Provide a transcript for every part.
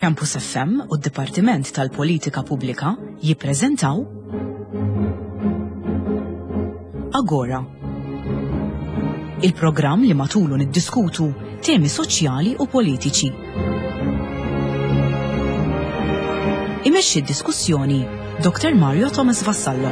Campus FM u d-Dipartiment tal-Politika Pubblika jippreżentaw Agora. Il-programm li matulu niddiskutu temi soċjali u politiċi. Imexxi d-diskussjoni Dr. Mario Thomas Vassallo.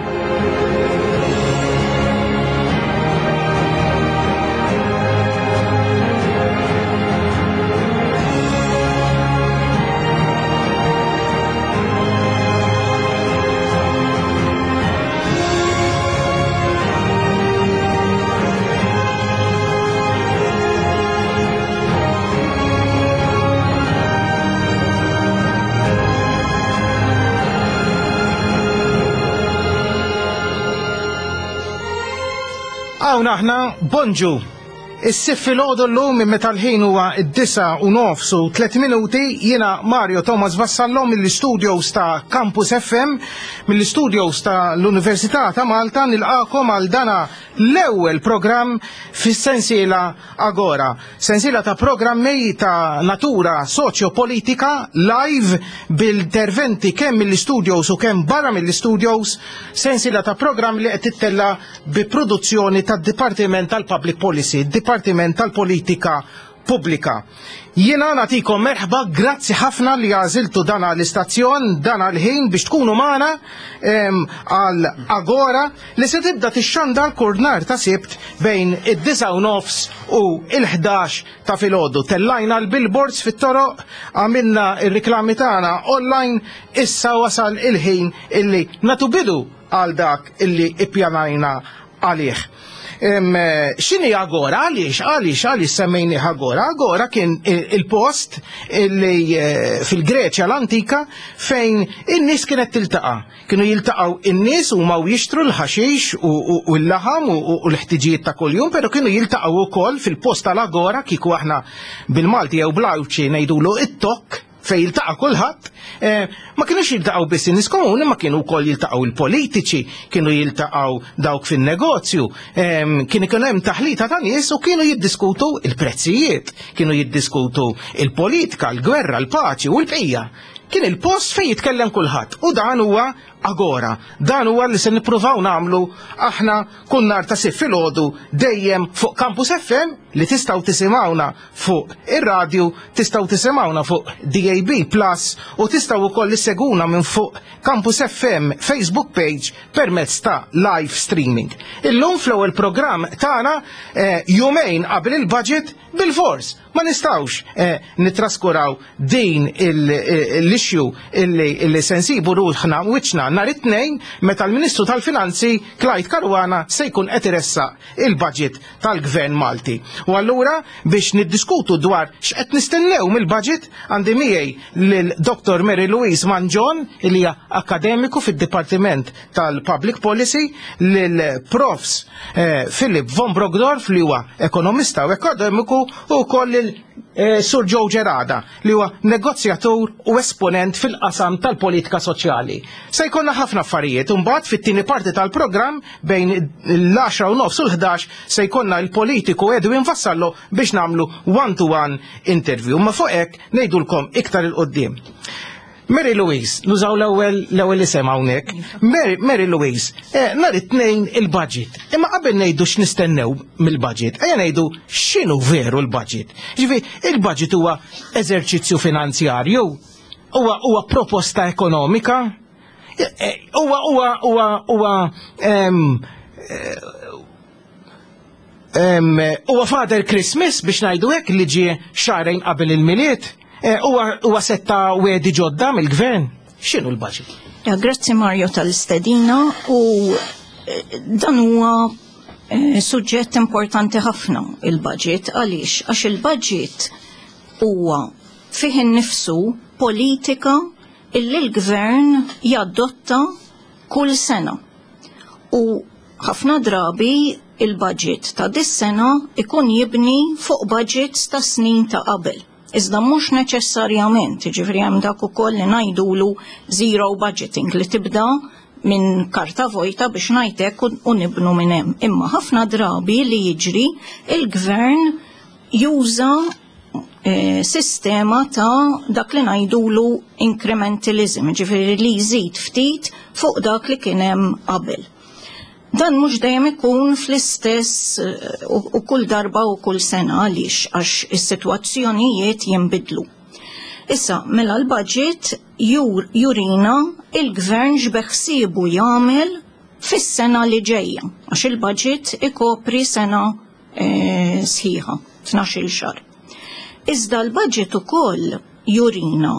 Hawn aħna, bonġu! Is-sitt filgħodu llum meta l-ħin huwa d-disa u nofs u tlet minuti jiena Mario Thomas Vassallo mill-istudios ta' Campus FM, mill-istudios ta' l-Università ta' Malta nilqakom għal dana l-ewwel programm fis-sensiela Agora. Sensiela ta' programmi ta' natura soċjo-politika live bil-interventi kemm mill-istudios u kemm barra mill-istudios, sensiela ta' programmi li qed tittella' bi produzzjoni tad-Dipartiment tal-Public Policy, Dipartiment tal-Politika Pubblika. Jiena nagħtikom merħba, grazzi ħafna li għażiltu dan l-istazzjon, dan l-ħin biex tkunu magħna għal Agora li se tibda tixxandar kull nhar ta' Sibt bejn id-disgħa u nofs u l-11 ta' filgħodu. Tellajna l-billboards fit-toroq, għamilna r-riklami tagħna online, issa wasal il-ħin illi nagħtu bidu għal dak illi ippjanajna għalih. X'inhi Agora? Għaliex, għaliex, għaliex semmejnih Agora? Agora kien il-post illi eh, fil-Greċja l-antika fejn in-nies kienet tiltaqa'. Kienu jiltaqgħu in-nies huma u jixtru l-ħaxix u l-laħam u l-ħtiġijiet ta' kuljum, però kienu jiltaqgħu wkoll fil-post tal-Agora kieku aħna bil-Malti jew bl-Għawdxi ngħidulu it-tokk fejn jiltaqa' kulħadd, eh, ma kienux jiltaqgħu biss in-nies komuni, ma kienu wkoll jiltaqgħu il-politiċi, kienu jiltaqgħu dawk fin-negozju, ehm, kien ikun hemm taħlita ta' nies u kienu jiddiskutu il-prezzijiet, kienu jiddiskutu il-politika, l-gwerra, l-paċi u l-bqija. Kien il-post fejn jitkellem kulħadd u dan huwa agora. Dan huwa li se nippruvaw nagħmlu aħna kull nhar ta' Sibt filgħodu dejjem fuq Campus FM li tistgħu tisimgħuna fuq ir-radju, tistgħu tisimgħuna fuq DAB Plus u tistgħu wkoll isseguna minn fuq Campus FM Facebook page permezz ta' live streaming. Illum fl-ewwel programm tagħna eh, jumejn qabel il-budget bil-fors Ma nistgħux eh, nittraskuraw din eh, l-issue illi se nsibu ruħna wiċċna nhar it-tnejn meta l-Ministru tal-Finanzi Clyde Caruana se jkun qed iressaq il-budget tal-Gvern Malti. U allura biex niddiskutu dwar x'qed nistennew mill-budget għandi miegħi lil Dr. Mary Louise Mangion li hija akademiku fid-Dipartiment tal-Public Policy lil Profs eh, Philip von Brockdorff li huwa ekonomista u akademiku u wkoll lil eh, Sur Joe Gerada li huwa negozjatur u esponent fil-qasam tal-politika soċjali. Se jkollna ħafna affarijiet, imbagħad fit-tieni parti tal-programm bejn l-10 u nofs u l-11 se jkollna l-politiku Edwin Vassallo biex nagħmlu one-to-one interview. Ma fuq hekk ngħidulkom iktar il-qoddim. Mary Louise, nużaw l-ewwel l-ewwel isem hawnhekk. Mary, Mary Louise, eh, nhar it-tnejn il-budget. Imma qabel ngħidu x'nistennew mill-budget, ejja ngħidu x'inhu veru l-budget. Ġifi, il-budget huwa eżerċizzju finanzjarju, huwa huwa proposta ekonomika, eh, eh, huwa huwa huwa huwa ehm, eh, Huwa Father Christmas biex ngħidu hekk li ġie xahrejn qabel il-Milied. Eh, huwa setta wedi ġodda mill-gvern. X'inhu l-budget? Ja, grazzi Mario tal-istedina u eh, dan huwa eh, suġġett importanti ħafna il-budget għaliex għax il-budget huwa fih innifsu politika illi l-gvern jadotta kull sena. U Ħafna drabi il-budget ta' dis-sena ikun jibni fuq budgets ta' snin ta' qabel. Iżda mhux neċessarjament, jiġifieri hemm dak ukoll li ngħidulu zero budgeting li tibda minn karta vojta biex ngħid hekk u nibnu minn hemm. Imma ħafna drabi li jiġri il-gvern juża. sistema ta' dak li ngħidulu incrementalism, ġifieri li jżid ftit fuq dak li kien hemm qabel. Dan mhux dejjem ikun fl-istess u kull darba u kull sena għaliex għax is-sitwazzjonijiet jinbidlu. Issa, mela l-budget jur, jurina il-gvern x'beħsiebu jagħmel fis-sena li ġejja, għax il-budget ikopri sena sħiħa, 12-il xahar. Iżda l-budget ukoll jurina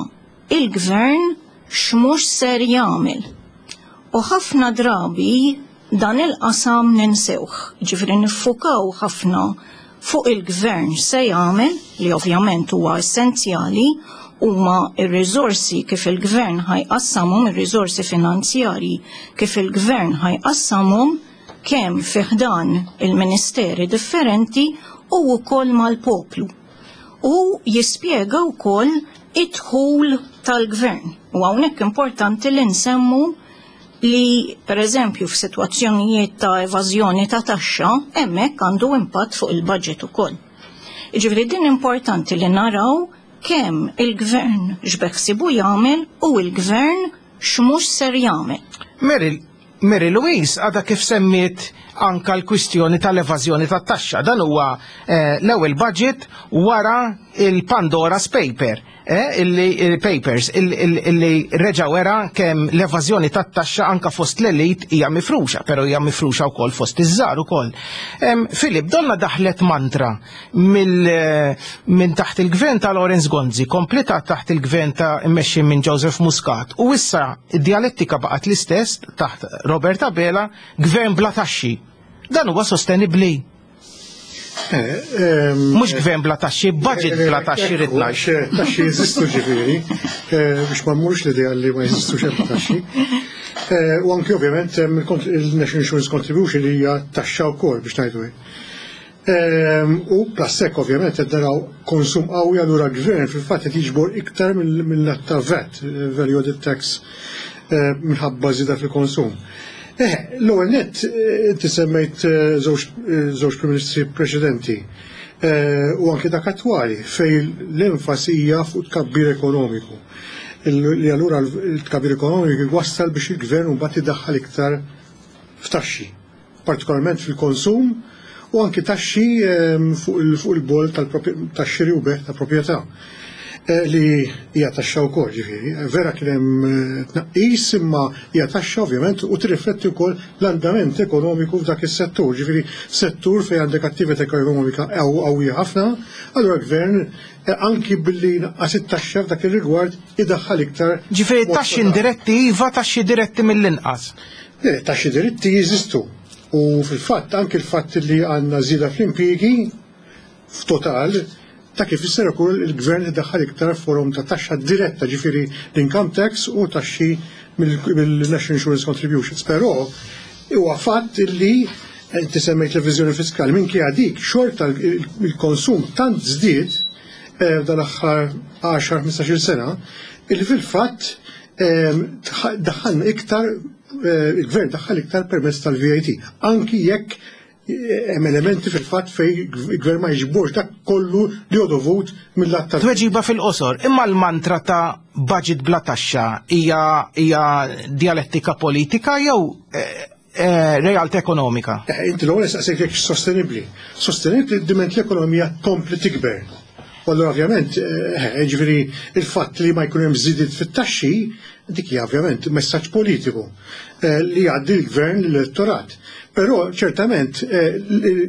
il-gvern x'mhux ser jagħmel. U ħafna drabi dan il-qasam ninsewh, ġifieri niffukaw ħafna fuq il-gvern se jagħmel, li ovvjament huwa essenzjali, huma ir-riżorsi kif il-gvern ħa jqassamhom, ir-riżorsi finanzjarji kif il-gvern ħa jqassamhom kemm fi ħdan il-ministeri differenti u wkoll mal-poplu. U jispjega wkoll id-dħul tal-gvern. U hawnhekk importanti li nsemmu li per eżempju f'sitwazzjonijiet ta' evażjoni ta' taxxa hemmhekk għandu impatt fuq il-budget ukoll. Jiġifieri din importanti li naraw kemm il-gvern x'beħsibu jagħmel u l-gvern x'mhux ser jagħmel. Mary, Mary Louise għadha kif semmiet anka l-kwistjoni tal-evażjoni tat-taxxa. Dan huwa l-ewwel budget wara il-Pandora's Paper, illi il-papers illi reġa' wera kemm l-evażjoni tat-taxxa anka fost l-elit hija mifruxa, però hija mifruxa wkoll fost iż-żgħar ukoll. Filip, donna daħlet mantra minn taħt il-gvern ta' Lawrence Gonzi, komplita taħt il-gvern ta' immexxi minn Joseph Muscat, u issa id-dialettika baqgħet l-istess taħt Robert Abela, gvern bla taxxi. Dan huwa sostenibbli? Mhux gvern bla taxxi, budget bla taxxi rid ngħid. Taxxi jeżistu ġifieri, biex ma mmurx l-idea li ma jeżistux hemm taxxi. U anki ovvjament hemm il-National Insurance Contribution li hija taxxa wkoll biex ngħidu hekk. U plus hekk ovvjament qed naraw konsum qawwi, allura l-gvern fil-fatt qed jiġbor iktar mill-lat ta' VAT, Value Added Tax, minħabba żieda fil-konsum. L-ewwel nett inti semmejt żewġ Prim Ministri preċedenti u anke dak attwali fejn l-enfasi hija fuq tkabbir ekonomiku. Li allura l-tkabbir ekonomiku jwassal biex il-gvern mbagħad idaħħal iktar f'taxxi, partikolarment fil-konsum u anki taxxi fuq il-bol tax-xiri u bejgħ ta' proprjetà li hija taxxa wkoll, ġifieri. Vera kien hemm tnaqqis imma hija taxxa ovvjament u tirrifletti wkoll l-andament ekonomiku f'dak is-settur, ġifieri settur fejn għandek attività ekonomika qawwija ħafna, allura l-gvern anki billi naqqas it-taxxa f'dak ir-rigward idaħħal iktar. Ġifieri taxxi indiretti iva, taxxi diretti mill-inqas. Le, taxxi diretti jeżistu. U fil-fatt anki l-fatt li għandna żieda fl-impjiegi f'total ta' kif jisser ukoll il-gvern idaħħal iktar forom ta' taxxa diretta, ġifieri l-income tax u taxxi mill-National Insurance Contributions. Però huwa fatt li inti semmejt l-eviżjoni fiskali, minkejja dik xorta il-konsum tant żdied dan aħħar 10-15 sena, illi fil-fatt daħħalna iktar, il-gvern daħħal iktar permezz tal-VAT, anki jekk hemm elementi fil-fatt fej il-gvern ma jiġborx dak kollu li hu dovut mill-att tal- Tweġiba fil-qosor, imma l-mantra ta' budget bla taxxa hija dialettika politika jew realtà ekonomika? Inti l-ewwel saqsejt jekk sostenibbli. Sostenibbli diment l-ekonomija tkompli tikber. U allura ovvjament, ġifieri il-fatt li ma jkun hemm żidiet fit-taxxi, dik hija ovvjament messaġġ politiku li jgħaddi l-gvern l-elettorat. Però ċertament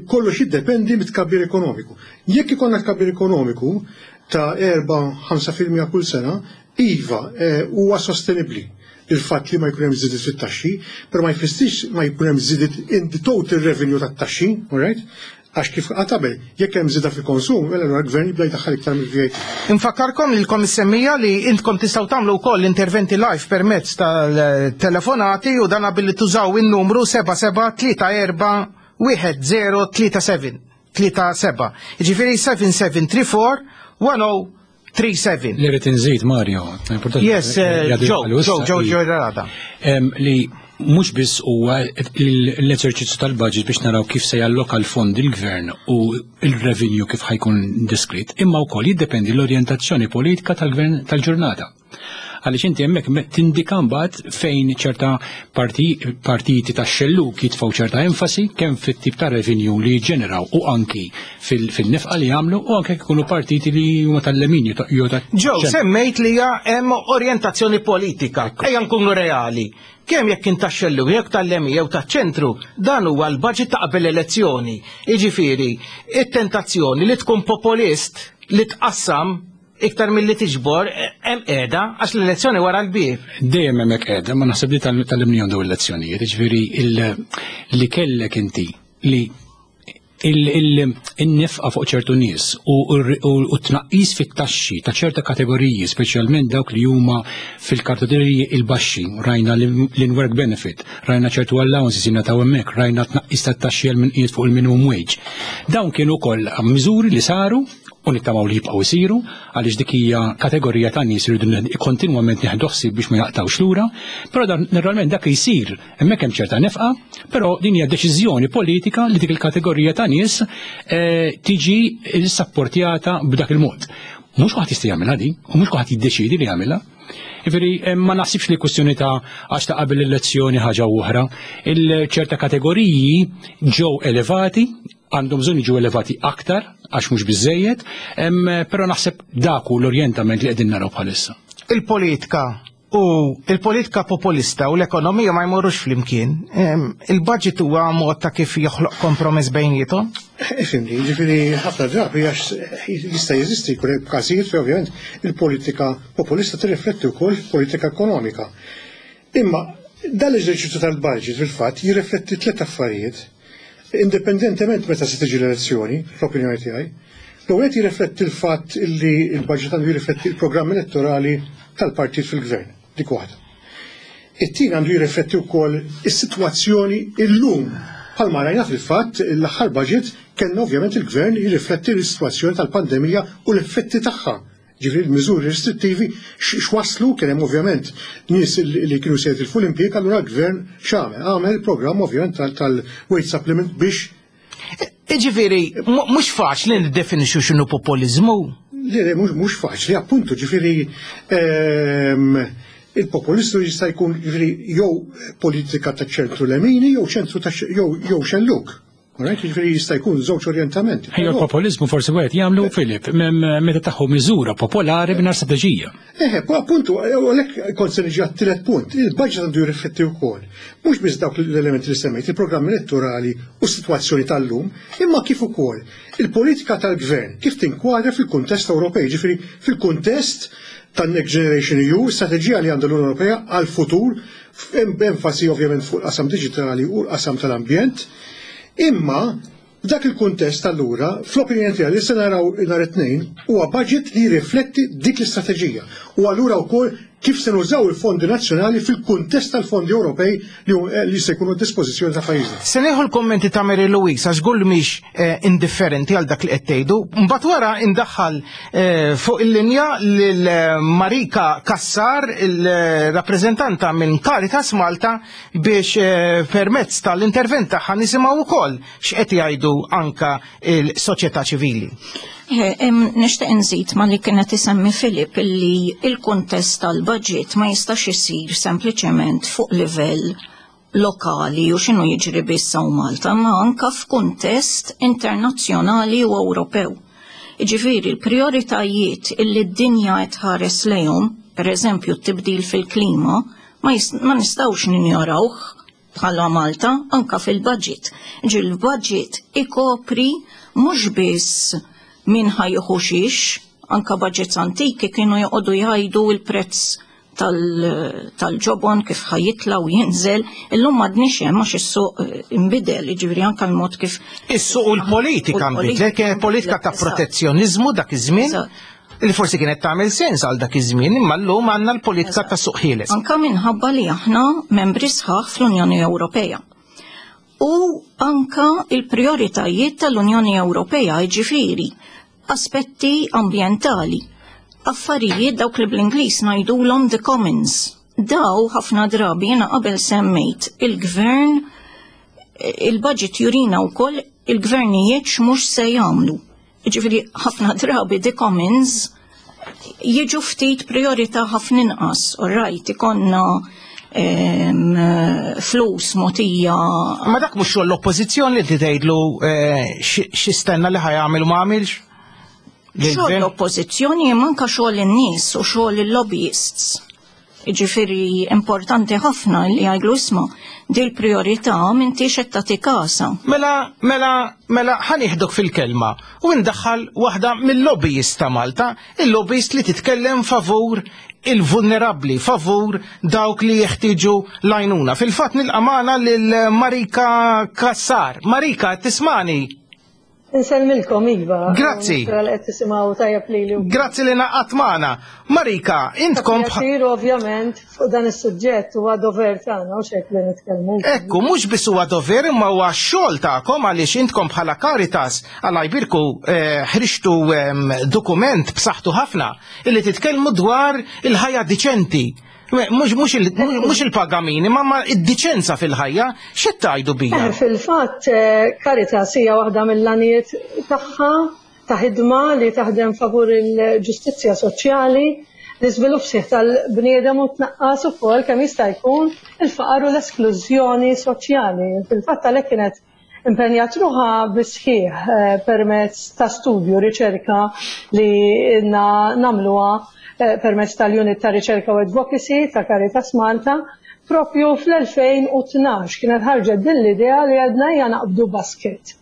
kollox jiddependi mit-tkabbir ekonomiku. Jekk ikollna tkabbir ekonomiku ta' 4-5 fil-mija kull sena, iva, huwa sostenibbli il-fatt li ma jkun hemm żidiet fit-taxxi, però ma jfissirx ma jkun hemm żidiet in the total revenue tat-taxxi, all right? Għax kif qatt qabel, jekk hemm żieda fil-konsum, mela allura l-gvern jibda jdaħħal iktar mill-VAT. Infakkarkom lilkom is-semmija li intkom tistgħu tagħmlu wkoll interventi live permezz tal-telefonati u dan billi tużaw in-numru seba' seba' tlieta erba' wieħed zero tlieta seven, tlieta seba'. Jiġifieri seven seven three four one oh three seven. Li rrid inżid, Mario, importanti Yes, li għadu Joe, jgħalu issa Joe, Joe, li Joe Rada. Li Mhux biss huwa l-eżerċizzju tal-budget biex naraw kif se jalloka l-fondi l-gvern u l-revenue kif ħa jkun diskrit, imma wkoll jiddependi l-orjentazzjoni politika tal-gvern tal-ġurnata. Għaliex inti hemmhekk tindika mbagħad fejn ċerta partiti tax-xellug jitfgħu ċerta enfasi kemm fit-tip ta' revenue li jiġġeneraw u anki fil-nefqa li jagħmlu u anke jkunu partiti li huma tal-lemin jew ta' Ġew semmejt li hemm orjentazzjoni politika. Ejja nkunu reali. Kemm jekk kien tax-xellug jekk tal-lemin jew taċ-ċentru, dan huwa l-budget ta' qabel elezzjoni. Jiġifieri, it-tentazzjoni li tkun populist li tqassam iktar milli tiġbor hemm qiegħda għax l-elezzjoni wara l-bieb. Dejjem hemmhekk qiegħda, ma naħseb li tal-imnijom dawn il-lezzjonijiet, jiġifieri li kellek inti li il-nefqa fuq ċertu nies u t-tnaqqis fit-taxxi ta' ċerta kategoriji, speċjalment dawk li huma fil-kategoriji il-baxxi, rajna l-in-work benefit, rajna ċertu allowances jingħataw hemmhekk, rajna tnaqqis tat-taxxi għal min qiegħed fuq il-minimum wage. Dawn kienu wkoll miżuri li saru u nittamaw li jibqgħu jsiru għaliex dik hija kategorija ta' nies li rridu kontinwament nieħdu ħsieb biex ma jaqtgħux lura, però naturalment dak jsir hemmhekk hemm ċerta nefqa, però din hija deċiżjoni politika li dik il-kategorija ta' nies eh, tiġi sapportjata b'dak il-mod. Mhux kulħadd jista' jagħmilha din, u mhux kulħadd jiddeċiedi li jagħmilha. Ġifieri eh, ma naħsibx li kwestjoni ta' għax ta' qabel l-elezzjoni ħaġa oħra. Il-ċerta kategoriji ġew elevati, għandhom bżonn jiġu elevati aktar għax mhux biżejjed, però naħseb dak hu l-orjentament li qegħdin naraw bħalissa. Il-politika u il-politika populista u l-ekonomija ma jmorrux flimkien. Il-budget huwa mod ta' kif joħloq kompromess bejnietom? Ifimni, ġifieri ħafna drabi għax jista' jeżisti jkun hemm każijiet fejn ovvjament il-politika populista tirrifletti wkoll politika ekonomika. Imma dan l-eżerċizzju tal-budget fil-fatt jirrifletti tliet affarijiet indipendentement meta se tiġi l-elezzjoni, fl-opinjoni tiegħi. L-ewwel qed jirrifletti l-fatt li l-budget għandu jirrifletti l-programm elettorali tal-partit fil-gvern, dik waħda. It-tieni għandu jirrifletti wkoll is-sitwazzjoni illum. Bħalma rajna fil-fatt l-aħħar budget kellna ovvjament il-gvern jirrifletti l-sitwazzjoni tal-pandemija u l-effetti tagħha. Ġifieri l-miżuri restrittivi x'wasslu kien hemm ovvjament nies li kienu se jitilfu l-impjieg, allura l-gvern x'għamel? Għamel programm ovvjament tal-wage supplement biex Ġifieri, mhux faċli niddefinixxu x'inhu populiżmu. Le, mhux faċli, appuntu, ġifieri ehm, il-populistu jista' jkun ġifieri jew politika ta' ċentru lemini jew ċentru ta' jew xelluk. Alright, ġifieri jista' jkun żewġ orjentamenti. Ejja l-populiżmu forsi wieħed jagħmlu Filip meta taħu miżura popolari mingħajr strateġija. Eħe, appuntu, għalhekk kont se niġi għat-tielet punt, il-budget għandu jirrifletti wkoll mhux biss dawk l-elementi li semmejt, il-programm elettorali u s-sitwazzjoni tal-lum, imma kif ukoll il-politika tal-gvern kif tinkwadra fil-kuntest Ewropej, ġifieri fil-kuntest tan-Next Generation EU, strateġija li għandha l-Unjoni Ewropea għall-futur, b'enfasi ovvjament fuq il-qasam diġitali u l-qasam tal-ambjent. Imma f'dak il-kuntest allura, fl-opinjoni tiegħi li se naraw nhar it-Tnejn huwa budget li jirrifletti dik l-istrateġija u allura wkoll kif se nużaw il-fondi nazzjonali fil-kuntest tal-fondi Ewropej li se jkunu d-dispożizzjoni ta' pajjiżna. Se nieħu l-kummenti ta' Mary Louise għax żgur li mhix eh, indifferenti għal dak li qed tgħidu. Mbagħad wara indaħħal eh, fuq il-linja lil eh, Marika Cassar, il-rappreżentanta minn Caritas Malta biex eh, permezz tal-intervent tagħha nisimgħu wkoll x'qed jgħidu anka il-soċjetà ċivili. Eh, nixtieq inżid ma li kienet isemmi Filip illi il-kuntest tal-budget ma jistax isir sempliċement fuq livell lokali u x'inhu jiġri biss hawn Malta, ma anka f'kuntest internazzjonali u Ewropew. Jiġifieri l-prijoritajiet illi d-dinja qed tħares lejhom, pereżempju t-tibdil fil-klima, ma, ma nistgħux ninjorawh bħala Malta anka fil-budget. Ġi l-budget ikopri mhux biss min ħajħu xiex, anka budgets antiki kienu joqogħdu jgħidu l-prezz tal-ġobon kif ħajitla u jinżel, illum m'għadniex hemm għax is-suq eh, inbidel, jiġifieri anke l-mod kif. Is-suq u l-politika nbidlet, kienet politika ta' protezzjoniżmu dak iż-żmien li forsi kienet tagħmel sens għal dak iż-żmien, imma llum għandna l-politika ta' suq ħieles. Anka minħabba li aħna membri sħaħ fl-Unjoni Ewropea. U anka il-prioritajiet tal-Unjoni Ewropea, jiġifieri aspetti ambjentali, affarijiet dawk li bl-Ingliż ngħidulhom the commons. Daw ħafna drabi jiena qabel semmejt il-gvern il-budget jurina wkoll il-gvernijiet x'mhux se jagħmlu. Ġifieri ħafna drabi the commons jiġu ftit priorità ħafna inqas, all right, ikonna flus motija. Ma dak mhux xogħol l-oppożizzjoni li tgħidlu eh, xistenna li ħajamel u ma għamilx? Xogħol l-oppożizzjoni imma anke xogħol in-nies u xogħol il-lobbyists. Jiġifieri importanti ħafna li jgħidlu isma' dil priorità m'intix qed tagħti kasha. Mela, mela, mela ħa nieħdok fil-kelma u ndaħħal waħda mill-lobbyist ta' Malta, il-lobbyist li titkellem favur il-vulnerabbli, favur dawk li jeħtieġu l-għajnuna. Fil-fatt nilqa' magħna lil Marika Cassar. Marika, tismani? Insellmilkom, Iva. Grazzi. Nispera li qed tisimgħu tajjeb lili. Grazzi li naqgħat magħna. Marika, intkom Pjaċir ovvjament fuq dan is-suġġett huwa dover tagħna u xek li nitkellmu. Ekku, mhux biss huwa dover imma huwa xogħol tagħkom għaliex intkom bħala Caritas għal jbirku eh, ħriġtu ehm, dokument b'saħħtu ħafna illi titkellmu dwar il-ħajja diċenti. Mhux il-pagamini, ma ma id-diċenza fil-ħajja, x'qed tgħidu bija? Eh, fil-fatt, eh, Caritas hija waħda mill-għanijiet tagħha ta' ħidma li taħdem favur il-ġustizzja soċjali, l-iżvilupp sħiħ tal-bniedem u tnaqqas ukoll kemm jista' jkun il-faqar u l-esklużjoni soċjali. Fil-fatt għalhekk kienet impenjat ruħha bis-sħiħ eh, permezz ta' studju, riċerka li inna nagħmluha eh, permezz tal-Unit ta' Riċerka u Advocacy ta' Caritas Malta, propju fl-2012 kienet ħarġet din l-idea li għedna hija naqbdu basket.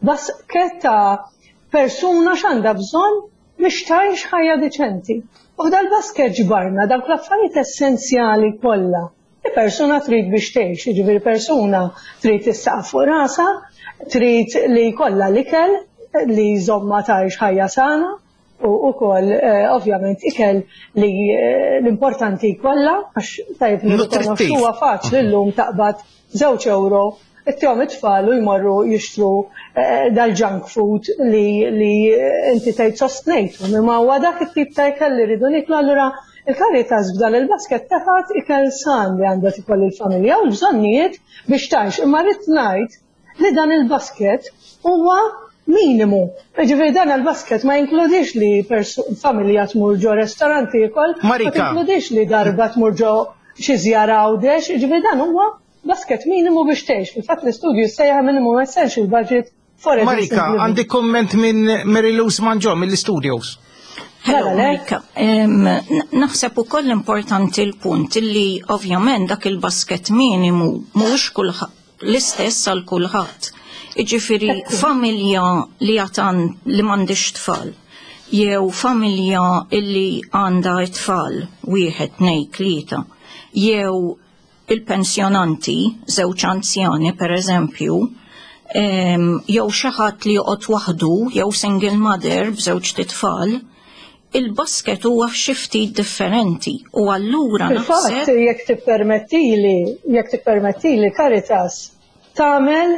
Basket ta' persuna x'għandha bżonn biex tgħix ħajja diċenti. U f'dal-basket ġbarna dawk l-affarijiet essenzjali kollha li persuna trid biex tgħix, jiġifieri persuna trid is-saqaf fuq rasha, trid li jkollha l-ikel li jżommha tgħix ħajja sana u wkoll eh, ovvjament ikel li eh, l-importanti jkollha għax tajjeb nirrikonoxxu huwa faċli llum taqbad żewġ euro ittihom it-tfal u jmorru jixtru eh, dal-junk food li, li inti tgħid sostnejtu. Imma huwa dak it-tip ta' ikel li rridu niklu allura il-Caritas f'dan il-basket tefgħet ikel san li għandha tikol il-familja u l-bżonnijiet biex tgħix. Imma rrid ngħid li dan il-basket huwa minimu. Ġifieri dan il-basket ma jinkludix li familja tmur ġo restaurant tiekol, ma tinkludix li darba tmur ġo xi żjara Għawdex, ġifieri dan huwa basket minimu biex tgħix. Fil-fatt l-istudju jissejjaħ Minimum Essential Budget for a Marika, għandi komment minn Mary Lou Manġo mill-studios. Hello, Marika. Naħseb ukoll importanti l-punt li ovvjament dak il-basket minimu mhuwiex kulħadd l-istess għal kulħadd. Jiġifieri familja li għatan li m'għandix tfal jew familja illi għandha tfal wieħed, tnejn, tlieta, jew il-pensjonanti, żewġ anzjani per eżempju, jew xi ħadd li joqgħod waħdu jew single mother b'żewġ titfal, il-basket huwa xi ftit differenti u allura Fil-fatt jekk tippermettili, jekk tippermettili Caritas tagħmel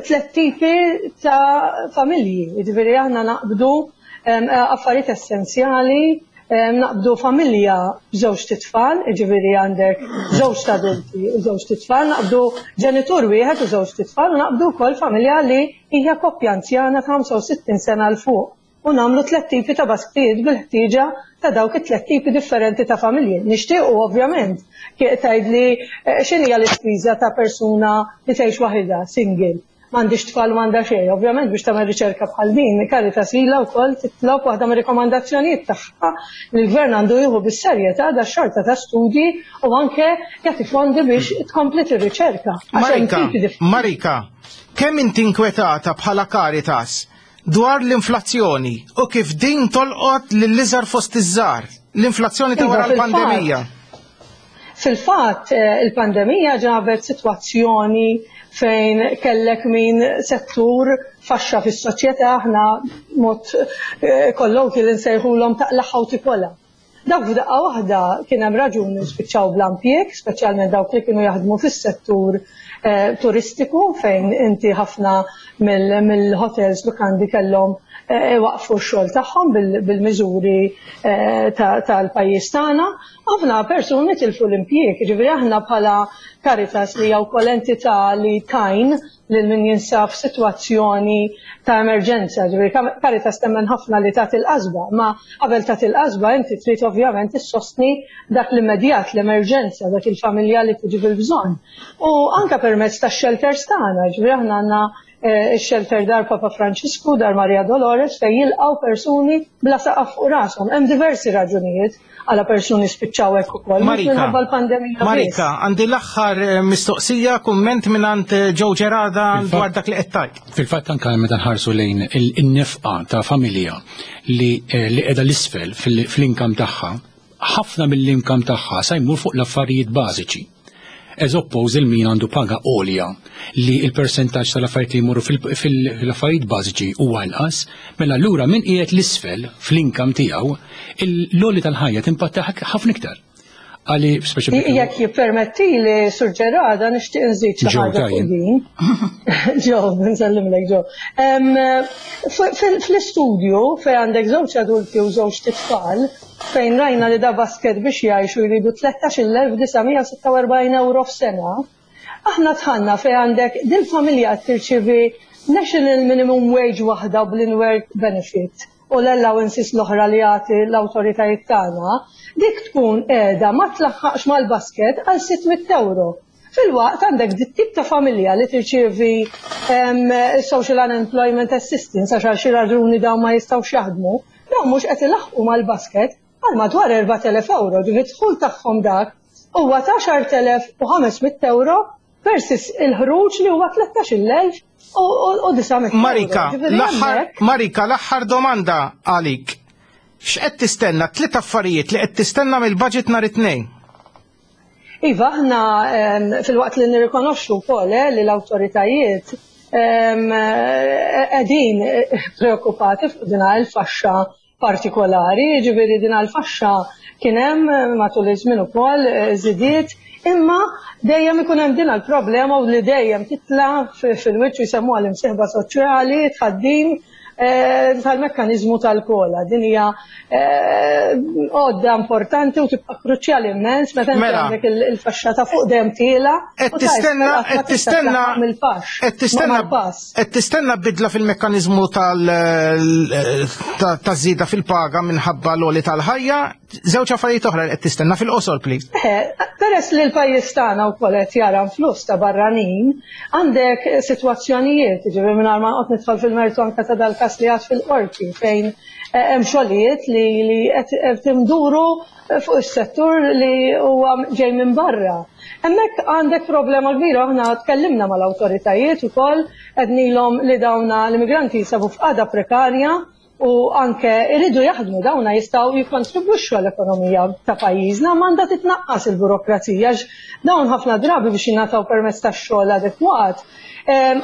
tliet tipi ta' familji. Jiġifieri aħna naqbdu affarijiet essenzjali, naqbdu familja b'żewġt itfal, jiġifieri għandek żewġt adulti u żewġt itfal, naqbdu ġenitur wieħed u żewġt itfal u naqbdu wkoll familja li hija koppja anzjana ta' 65 sena 'l fuq u nagħmlu tliet tipi ta' basktijiet bil-ħtieġa ta' dawk it-tliet tipi differenti ta' familji. Nixtiequ ovvjament tgħidli x'inhija l-ispiża ta' persuna li tgħix waħidha, single, m'għandhiex tfal u m'għandha xejn. Ovvjament biex tagħmel riċerka bħal din, Caritas ilha wkoll titlob waħda mir-rikomandazzjonijiet tagħha li l-Gvern għandu jieħu bis-serjetà dax-xorta ta' studji u anke jagħti fondi biex tkompli tir-riċerka. Marika, Marika, kemm inti inkwetata bħala Caritas dwar l-inflazzjoni u kif din tolqot lill-iżgħar fost iż-żgħar, l-inflazzjoni ta' wara l-pandemija. Fil-fatt, il-pandemija ġabet sitwazzjoni fejn kellek min settur faxxa fis-soċjetà aħna mod kollokjali nsejħulhom taqlagħha u tikolha. Dawk f'daqqa waħda kien hemm raġuni spiċċaw bla impjieg, speċjalment dawk li kienu jaħdmu fis-settur turistiku fejn inti ħafna mill-hotels, lukandi kellhom waqfu x-xogħol tagħhom bil-miżuri tal-pajjiż tagħna. Ħafna persuni tilfu l-impjieg, jiġifieri aħna bħala Caritas li hija wkoll entità li tgħin lil min jinsab f'sitwazzjoni ta' emerġenza. Ġifieri Caritas temmen ħafna li tagħti l-qasba, ma qabel tagħti l-qasba inti trid ovvjament issostni dak l-immedjat, l-emerġenza, dak il-familja li tiġi fil-bżonn. U anke permezz tax-shelters tagħna, ġifieri aħna għandna ix-shelter Dar Papa Franċisku, Dar Maria Dolores fejn jilqgħu persuni bla saqaf fuq rashom. Hemm diversi raġunijiet għala persuni spiċċaw hekk ukoll. Marika, minħabba l-pandemija. Marika, għandi l-aħħar eh, mistoqsija, kumment mingħand eh, Joe Gerada dwar dak li qed tgħid. Fil-fatt anke meta nħarsu lejn in-nefqa ta' familja li eh, li qiegħda l-isfel fl-inkam tagħha, ħafna mill-inkam tagħha sa jmur fuq l-affarijiet bażiċi. As opposed il min għandu paga għolja li il-persentaġġ tal-affarijiet li jmorru fil-affarijiet bażiċi huwa inqas, mela allura min qiegħed l-isfel fl-inkam tiegħu, l-għoli tal-ħajja timpatta ħafna iktar. Għali speċi Jekk jippermetti li Sur Ġerada nixtieq nżid xi ħaġa fuq din. Ġo, nsellimlek Ġo. Fl-istudju fejn għandek żewġ adulti u żewġ tfal, fejn rajna li da basket biex jgħixu jridu 13,946 euro f'sena, aħna dħalna fejn għandek dil-familja qed tirċievi national minimum wage waħda bl-in-work benefit u l-allowances l-oħra li jagħti l-awtoritajiet tagħna, dik tkun qiegħda ma tlaħħaqx mal-basket għal 600 euro. Filwaqt għandek dit tip ta' familja li tirċievi social unemployment assistance għax għal xi raġuni dawn ma jistgħux jaħdmu, dawn mhux qed ilaħħqu mal-basket għal madwar 4,000 euro, ġifieri d-dħul tagħhom dak huwa ta' 10,500 euro versus il-ħruġ li huwa 13,900 euro. Marika, l-aħħar Marika, l-aħħar domanda għalik. X'qed tistenna? Tliet affarijiet li qed tistenna mill-budget nhar it-Tnejn. Iva, aħna filwaqt li nirrikonoxxu wkoll eh, li l-awtoritajiet qegħdin eh, preokkupati fuq din il-faxxa partikolari, jiġifieri din il-faxxa kien hemm matul iż-żmien ukoll eh, żidiet, imma dejjem ikun hemm din il-problema u li dejjem titla' fil-wiċċ u jsemmuha l-imsieħba soċjali tħaddim Eh, tal-mekkaniżmu tal-kola. Din hija eh, għodda importanti u tibqa' kruċjali immens meta mela. għandek il-faxxa ta' fuq dejjem tiela. Qed tistenna qed tistenna qed tistenna qed tistenna bidla fil-mekkaniżmu tal-żieda fil-paga minħabba l-għoli tal-ħajja Żewġ affarijiet oħra li qed tistenna fil-qosor, please. Eh, peress li l-pajjiż tagħna wkoll qed jara flus ta' barranin, għandek sitwazzjonijiet, ġifieri mingħajr ma noqgħod nidħol fil-mertu anke ta' dal-każ li għad fil-qorti fejn eh, hemm xogħlijiet li li qed timduru fuq is-settur li huwa ġej minn barra. Hemmhekk għandek problema kbira, aħna tkellimna mal-awtoritajiet ukoll qednilhom li dawna l-immigranti jinsabu f'qagħda prekarja u anke iridu jaħdmu dawna jistgħu jikkontribwixxu għall-ekonomija ta' pajjiżna ma għandha titnaqqas il-burokrazija għax dawn ħafna drabi biex jingħataw permezz tax-xogħol adekwat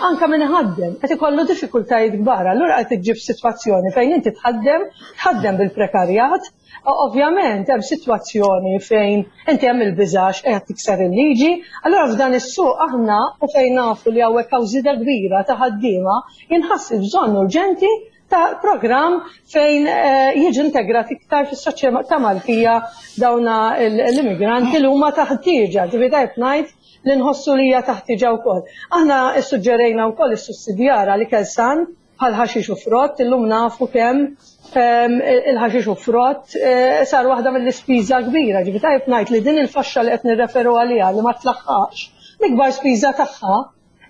anke min iħaddem qed ikollu diffikultajiet kbar. Allura qed iġġib sitwazzjoni fejn inti tħaddem, tħaddem bil-prekarjat, Ovvjament hemm sitwazzjoni fejn inti hemm il-biżax qed tikser il-liġi, allura f'dan is-suq aħna u fejn nafu li hawnhekk hawn żieda kbira ta' ħaddiema jinħass il-bżonn urġenti ta' programm fejn eh, jiġu integrat iktar fis-soċjetà Maltija dawna l-immigranti li huma taħtieġa, ġifieri tajb ngħid li nħossu li hija taħtieġa wkoll. Aħna ssuġġerejna wkoll is-sussidjar għal ikel san bħal ħaxix u frott, illum nafu kemm ehm, il-ħaxix u frott eh, sar waħda mill-ispiża kbira. Ġifieri tajb ngħid li din il-faxxa li qed nirreferu għaliha li ma tlaħħaqx, l-ikbar spiża tagħha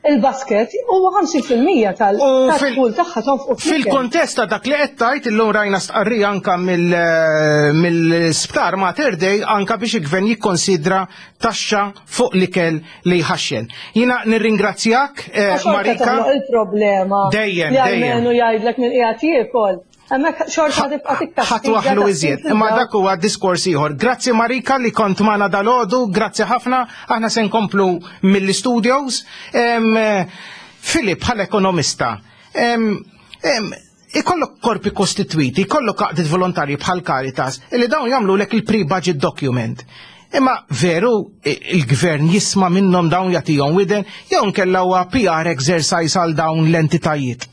il-basket huwa 50% tal-dħul tagħha tonfqu. Fil-kontest ta' dak li qed tgħid illum rajna stqarrija anka eh, mill-sptar Mater Dei anka biex il-gvern jikkonsidra taxxa fuq l-ikel li jħaxxen. Jina nirringrazzjak, eh, Marika. Il-problema. Dejjem, dejjem. jgħidlek minn qiegħed jiekol. Hemmhekk xorta tibqa' tikka. Ħadd waħlu iżjed, imma dak huwa diskors ieħor. Grazzi Marika li kont magħna dalodu, grazzi ħafna, aħna se nkomplu mill-studios. Filip bħala ekonomista, ikollok korpi kostitwiti, ikollok għaqdiet volontarji bħal Caritas, illi dawn jagħmlu lek il-pre-budget document. Imma veru il-gvern jisma' minnhom dawn jagħtihom widen jew nkella huwa PR exercise għal dawn l-entitajiet.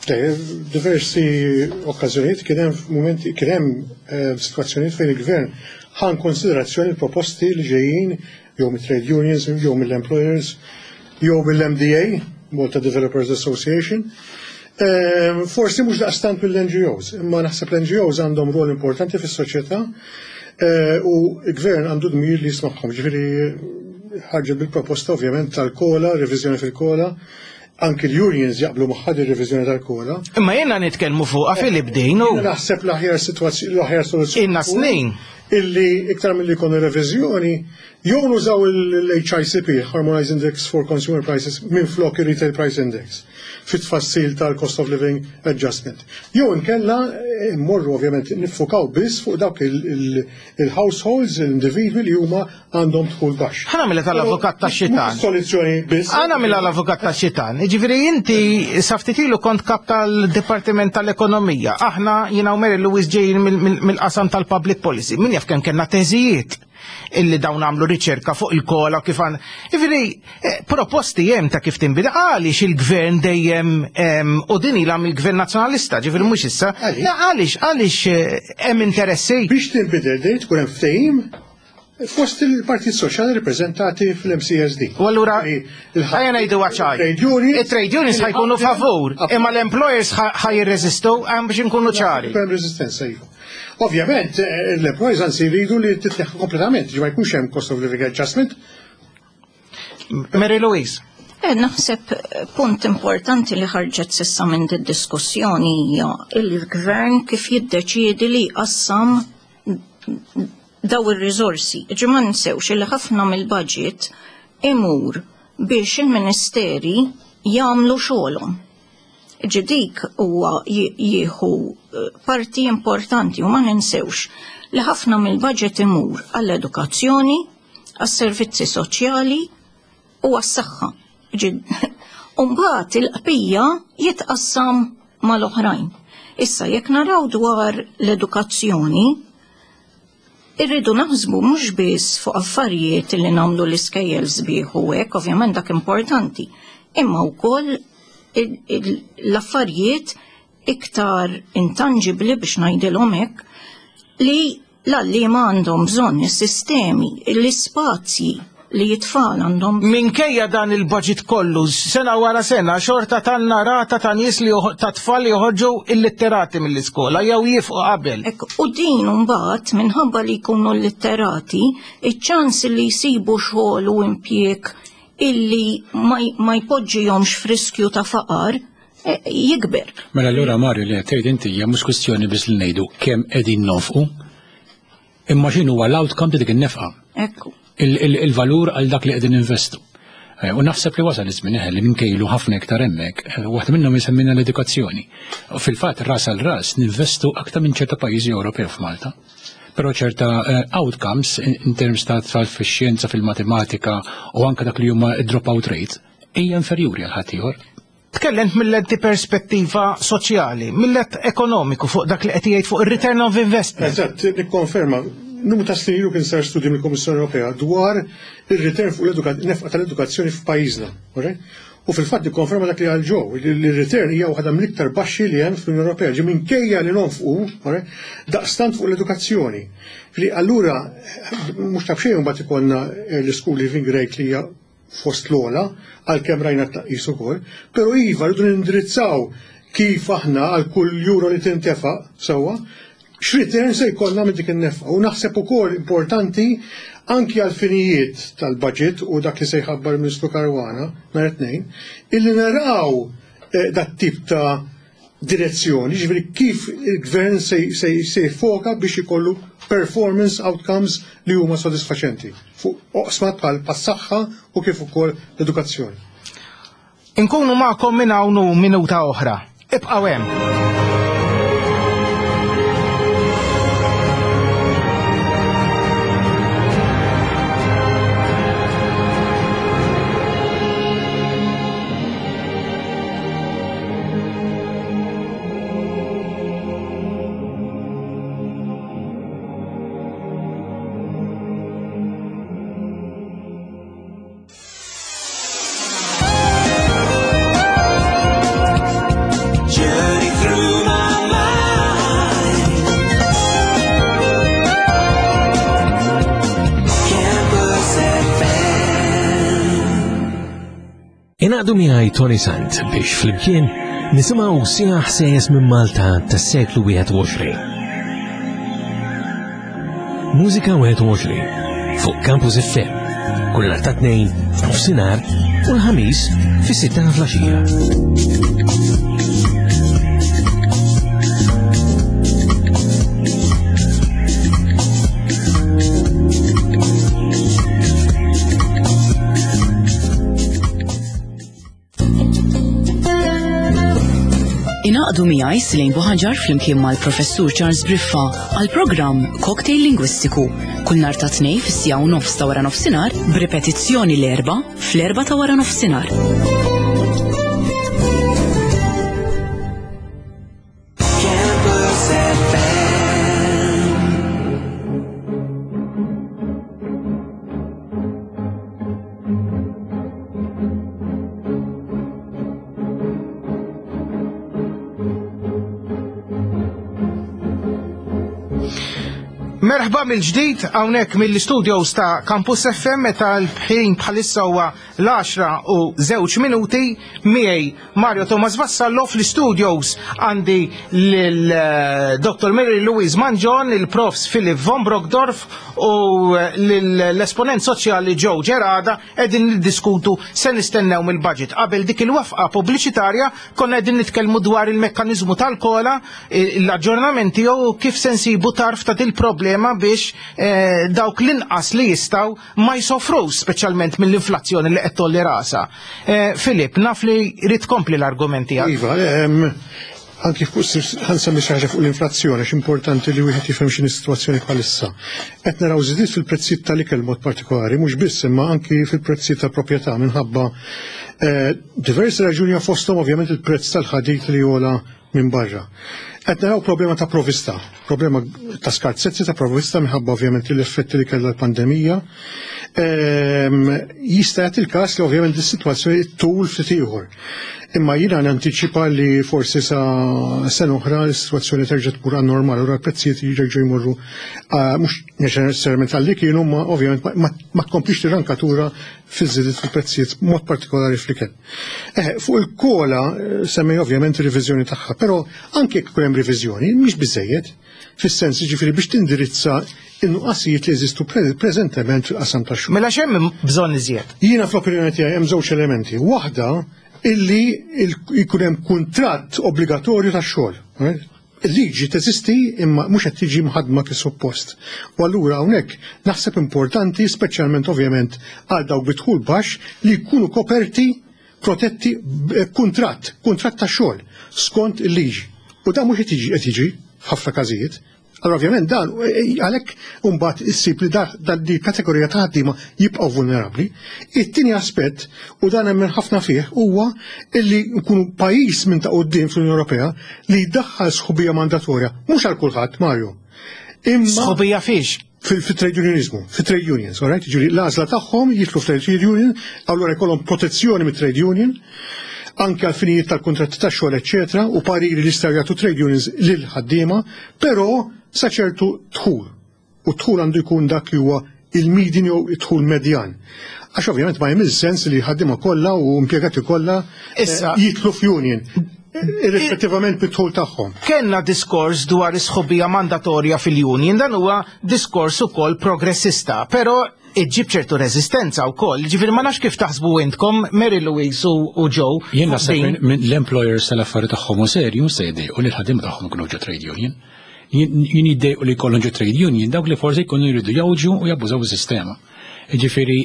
Diversi okkażjonijiet kien hemm mumenti kien hemm eh, sitwazzjonijiet fejn il-gvern ħa konsiderazzjoni l-proposti li ġejjin jew mit-trade unions, jew mill-employers, jew mill-MDA, Malta Developers Association. Eh, forsi mhux daqstant mill-NGOs, imma naħseb l-NGOs għandhom rol importanti fis-soċjetà eh, u l-gvern għandu dmir li jismagħhom. Ġifieri ħarġet bil-proposta ovvjament tal-COLA, reviżjoni fil-COLA, Anki l-unions jaqblu magħha din ir-reviżjoni tal-COLA. Imma jiena nitkellmu fuqha Filip din u. Naħseb l-aħjar sitwazzjoni, l-aħjar soluzzjoni. Ilna snin. Illi iktar milli jkunu reviżjoni, jew nużaw il-HICP, Harmonized Index for Consumer Prices, minflok ir-Retail Price Index fit-tfassil tal-Cost of Living Adjustment. Jew inkella eh, mmorru ovvjament niffukaw biss fuq dawk il-households, l-individwi li huma għandhom dħul baxx. Ħa nagħmilha tal-avukat tax-xitan. Soluzzjoni biss. Ħa nagħmilha l-avukat tax-xitan. Jiġifieri inti sa ftit ilu kont kap tal-Dipartiment tal-Ekonomija. Aħna jiena u Mary Louise ġejjin mill-qasam tal-Public Policy. Min jaf kemm kellna teżijiet illi dawn għamlu riċerka fuq il-COLA kif għan. Jiġifieri eh, proposti hemm ta' kif tinbida għaliex il-gvern dejjem u din ilha mill-gvern nazzjonalista, ġifieri mhux issa. Għaliex għaliex eh, hemm interessi. Biex tinbidel dejjem tkun hemm ftehim Fost il-Partit Soċjali rappreżentati fl-MCSD. U allura, ħajja ngħidu ċar. Il-trade unions ħajkunu favur, imma l-employers ħaj jirreżistu għam biex nkunu ċari. Hemm reżistenza iva. Ovvjament, eh, l-employers anzi jridu li titneħħa kompletament, ġi ma jkunx hemm cost of living adjustment. Mary Louise. Eh, naħseb eh, punt importanti li ħarġet sissa minn diskussjoni hija il-gvern kif jiddeċiedi li jqassam daw ir-riżorsi. Ġi ma ninsewx li ħafna mill-budget imur biex il-ministeri jagħmlu xogħolhom. Ġi dik huwa jieħu eh, parti importanti u ma ninsewx li ħafna mill-budget imur għall-edukazzjoni, għas-servizzi soċjali u għas-saħħa. Umbagħad il-qbija jitqassam mal-oħrajn. Issa jekk naraw dwar l-edukazzjoni, irridu naħsbu mhux biss fuq affarijiet li nagħmlu l-iskejjel sbieħ u hekk, ovvjament dak importanti, imma wkoll l-affarijiet iktar intangibli biex ngħidilhom hekk li L-għalliema għandhom bżonn is-sistemi, l-ispazji li t-tfal għandhom. Minkejja dan il-budget kollu, sena wara sena, xorta tanna rata ta' nies li ta' tfal li joħorġu illitterati mill-iskola jew jifqu qabel. Ekk, u din mbagħad minħabba li jkunu illitterati, iċ-ċans li jsibu xogħol u impjieg illi ma jpoġġihomx f'riskju ta' faqar eh, jikber. Mela allura Mario li qed tgħid inti hija mhux kwistjoni biss li ngħidu kemm qegħdin nonfqu, imma x'inhu huwa l-outcome ta' dik in-nefqa. Ekku. Il-valur għal dak li qegħdin investu. Eh, u naħseb li wasal iż-żmien eh, li ninkejlu ħafna iktar hemmhekk, waħda minnhom isemmina l-edukazzjoni. Fil-fatt ras għal ras ninvestu aktar minn ċerta pajjiżi Ewropew f'Malta. Però ċerta outcomes in terms ta' tfal fix-xjenza, fil-matematika u anke dak li huma drop-out rate hija inferjuri għal ħaddieħor. Tkellimt mill-lenti perspettiva soċjali, mill-let ekonomiku fuq dak li qed jgħid fuq ir-return of investment. Eżatt, nikkonferma. Numru ta' snin ilu kien sar studju mill-Kummissjoni Ewropea dwar ir-return fuq l-nefqa tal-edukazzjoni f'pajjiżna. U fil-fatt nikkonferma dak li għal ġew, li l-return hija waħda mill-iktar baxxi li hemm fl-Unjoni Ewropea, ġi minkejja li nonfqu daqstant fuq l-edukazzjoni. Li allura mhux ta' b'xejn mbagħad ikollna l-school leaving rate li hija fost l-ogħla, għalkemm rajna tnaqqis ukoll, però iva rridu nindirizzaw kif aħna għal kull euro li tintefaq sewwa, x'return se jkollna minn dik in-nefqa. U naħseb ukoll importanti anki għal finijiet tal-budget u dak li se jħabbar il-Ministru Caruana nhar it-Tnejn, illi naraw eh, dat tip ta' direzzjoni, ġifieri kif il-gvern se jfoka biex ikollu performance outcomes li huma sodisfaċenti fuq oqsma bħal saħħa u kif ukoll l-edukazzjoni. Inkunu magħkom minn hawn u minuta oħra. Ibqgħu hemm. Ingħaqdu miegħi Tony Sant biex flimkien nisimgħu siegħa ħsejjes minn Malta tas-seklu 21. Mużika 21 fuq Campus FM kull nhar ta' tnejn f'nofsinhar u l-ħamis fis-sitta ta' flaxija. Ingħaqdu miegħi Silejn Buħaġar flimkien mal-Professur Charles Briffa għal programm Cocktail Lingwistiku kull nhar ta' tnej fis-sija u nofs ta' wara nofsinhar b'ripetizzjoni l-erba' fl-erba' ta' wara nofsinhar. Merħba mill-ġdid hawnhekk mill-studios ta' Campus FM meta l-ħin bħalissa huwa l-10 u żewġ minuti miegħi Mario Thomas Vassallo fl-studios għandi lil eh, Dr. Mary Louise Manġon, il-Profs Philip von Brockdorf u eh, l-esponent soċjali Joe Gerada qegħdin niddiskutu se nistennew mill-budget. Qabel dik il-wafqa pubbliċitarja konna qegħdin nitkellmu dwar il-mekkaniżmu tal-kola, eh, l-aġġornament tiegħu kif se nsibu tarf ta' dil-problema biex dawk l-inqas li jistgħu ma jsofrux speċjalment mill-inflazzjoni li qed tolli rasha. Eh, Filip, naf li rid tkompli l-argument tiegħek. Iva, anki fuq ħansemmi xi ħaġa fuq l-inflazzjoni, x'importanti li wieħed jifhem x'inhi s-sitwazzjoni bħalissa. Qed naraw żidiet fil-prezzijiet tal-ikel mod partikolari, mhux biss imma anki fil-prezzijiet tal-proprjetà minħabba eh, diversi raġuni fosthom ovvjament il-prezz tal-ħadid li jola minn barra. Qed naraw problema ta' provista, problema ta' skarsezzi ta' provista minħabba ovvjament l-effetti li kellha l-pandemija. Ehm, jista' jagħti il-każ li ovvjament is-sitwazzjoni tul ftit ieħor. Imma jiena nantiċipa li forsi sa sena oħra l-sitwazzjoni terġa' tmur għan normal u l-prezzijiet jerġgħu jmorru ah, mhux neċessarjament għalli kienu ma ovvjament ma tkomplix tirankatura fiż-żidiet fil-prezzijiet mod partikolari fl-ikel. Eh, fuq il-kola eh, semmej ovvjament riviżjoni tagħha, però anke jekk ikun hemm riviżjoni mhix biżejjed fis-sens ġifieri biex tindirizza in-nuqqasijiet li jeżistu preżentement fil-qasam tax-xogħol. Mela x'hemm bżonn iżjed? Jiena fl-opinjoni tiegħi hemm żewġ elementi. Waħda illi jkun hemm kuntratt obbligatorju tax-xogħol. Eh? Il-liġi teżisti imma mhux qed tiġi mħaddma kif suppost. U allura hawnhekk naħseb importanti, speċjalment ovvjament għal dawk bi dħul baxx, li jkunu koperti, protetti b'kuntratt, kuntratt ta' xogħol skont il-liġi. U dan mhux qed jiġi qed jiġri f'ħafna każijiet. Allura ovvjament dan għalhekk imbagħad issib li dan di kategorija ta' ħaddiema jibqgħu vulnerabbli. It-tieni aspett, u dan nemmen ħafna fih, huwa illi nkunu pajjiż minn ta' quddiem fl-Unjoni Ewropea li jdaħħal sħubija mandatorja, mhux għal kulħadd, Mario. Imma Sħubija fiex? Fil-trade unionizmu, fil-trade unions, all right? Ġifieri l-għażla tagħhom jidħlu f'trade union, allura jkollhom protezzjoni mit-trade union, anke għal finijiet tal-kuntratti tax-xogħol, eċċetera, u pariri li jistgħu jagħtu trade unions lil ħaddiema, però sa ċertu dħul. U d-dħul għandu jkun dak li huwa il-median jew id-dħul medjan. Għax ovvjament ma jagħmilx sens li ħaddiema kollha u impjegati kollha eh, Issa jidħlu f'union irrispettivament mid-dħul tagħhom. Kellna diskors dwar is-sħubija mandatorja fil-union, dan huwa diskors ukoll progressista, però iġġib ċertu reżistenza wkoll. Ġifieri ma nafx kif taħsbu intkom Mary Louise u Joe. Jien naħseb minn l-employers tal-affari tagħhom u serju se jdejqu li l-ħaddiema tagħhom ikunu ġo trade union. Jien jiddejqu li jkollhom ġo trade union dawk li forsi jkunu jridu jgħawġu u jabbużaw is-sistema. Ġifieri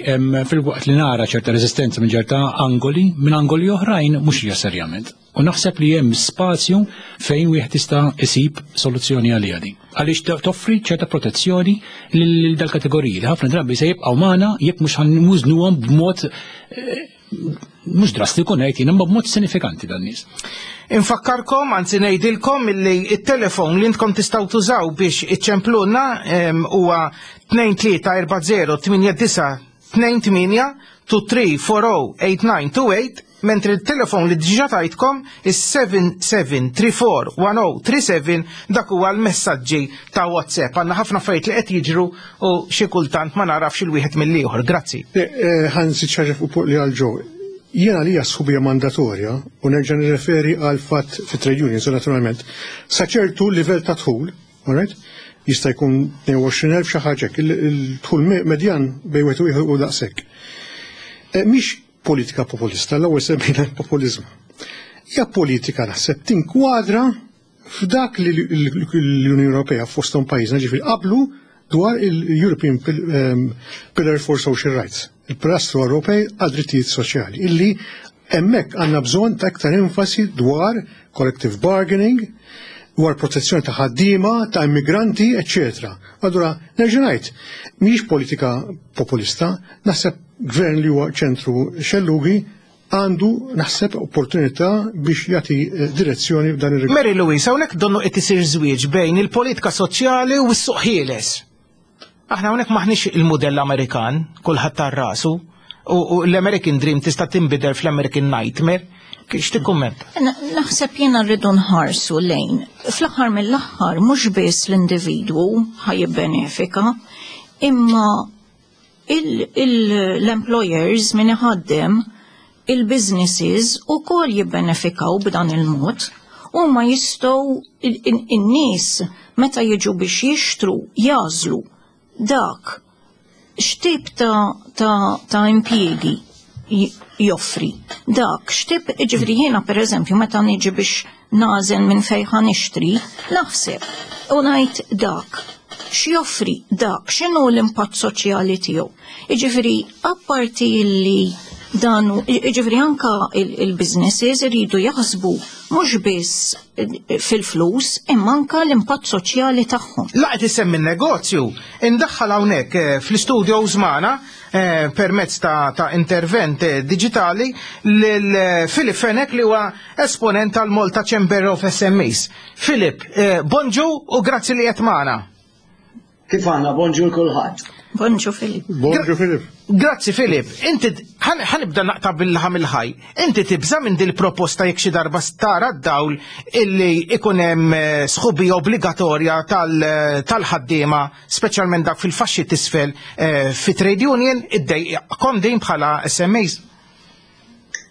fil-waqt li nara ċerta reżistenza minn ċerta angoli, minn angoli oħrajn mhux necessarjament. U naħseb li hemm spazju fejn wieħed jista' isib soluzzjoni għaliha din. Għaliex toffri ċerta protezzjoni lil dal-kategoriji li ħafna drabi se jibqgħu magħna jekk mhux ħanmużnuhom b'mod eh, mhux drastiku ngħid jien imma b'mod sinifikanti dan nies. Infakkarkom, anzi ngħidilkom illi it-telefon li intkom tistgħu tużaw biex iċċempluna huwa 2340 89 28 2340 8928 mentri il-telefon li diġà tajtkom is-77341037 dak huwa l-messaġġi ta' WhatsApp. Għandna ħafna affarijiet li qed jiġru u xi kultant ma narafx il-wieħed mill-ieħor. Grazzi. Eh, eh, ħansi ċaġa fuq li għal ġo. Jiena għalija s-sħubija mandatorja, u nerġa' nirreferi għal fatt fit trade unions, naturalment, sa ċertu livell ta' dħul, alright? Jista' jkun 22,000 xi ħaġa hekk, il-dħul medjan bejn wieħed u ieħor u daqshekk. Eh, mhix politika populista, l-ewwel semmejna l-populiżmu. Hija politika naħseb tinkwadra f'dak li l-Unjoni Ewropea fosthom pajjiżna ġifieri qablu dwar il-European ehm, Pillar for Social Rights, il-Pilastru Ewropej għal drittijiet soċjali, illi hemmhekk għandna bżonn ta' iktar enfasi dwar collective bargaining, dwar protezzjoni ta' ħaddiema, ta' immigranti, eccetera. Allura, nerġa' ngħid, mhijiex politika populista, naħseb gvern li huwa ċentru xellugi għandu naħseb opportunità biex jagħti eh, direzzjoni f'dan ir-rigward. Mary Louise, hawnhekk donnu qed isir żwieġ bejn il-politika soċjali u s-suq ħieles. Aħna hawnhekk maħniex il-mudell Amerikan, kulħadd tar rasu, u l-American Dream tista' tinbidel fl-American Nightmare. X'tikkumment? Naħseb jiena rridu nħarsu lejn. Fl-aħħar mill-aħħar mhux biss l-individwu ħajibbenefika, imma l-employers min iħaddem il-businesses ukoll jibbenefikaw b'dan il-mod u ma jistgħu in-nies meta jiġu biex jixtru jażlu dak x'tip ta', ta, ta impjiegi joffri. Dak x'tip ġifieri jiena pereżempju meta niġi biex nagħżel minn fejn ħa nixtri, naħseb u ngħid dak x'joffri dak x'inhu l-impatt soċjali tiegħu. Jiġifieri apparti li dan jiġifieri anka il-businesses iridu jaħsbu mhux biss fil-flus imma anka l-impatt soċjali tagħhom. Laqgħet isemmi n-negozju, indaħħal hawnhekk eh, fl-istudio żmana eh, permezz ta', ta intervent eh, digitali lil Filip Fenek li huwa esponent tal-Malta Chamber of SMEs. Filip, eh, bonġu u grazzi li qed magħna. Kif għandna, bonġu l-kulħadd. Bonġu Filip. Bonġu Filip. Grazzi Filip. Inti ħanibda naqta bil-ħam il-ħaj. Inti tibża minn dil proposta jekk xi darba stara d-dawl illi ikun hemm eh, sħubija obbligatorja eh, tal-ħaddiema, speċjalment dak fil-faxxi tisfel fi trade union, iddejqkom din bħala SMEs.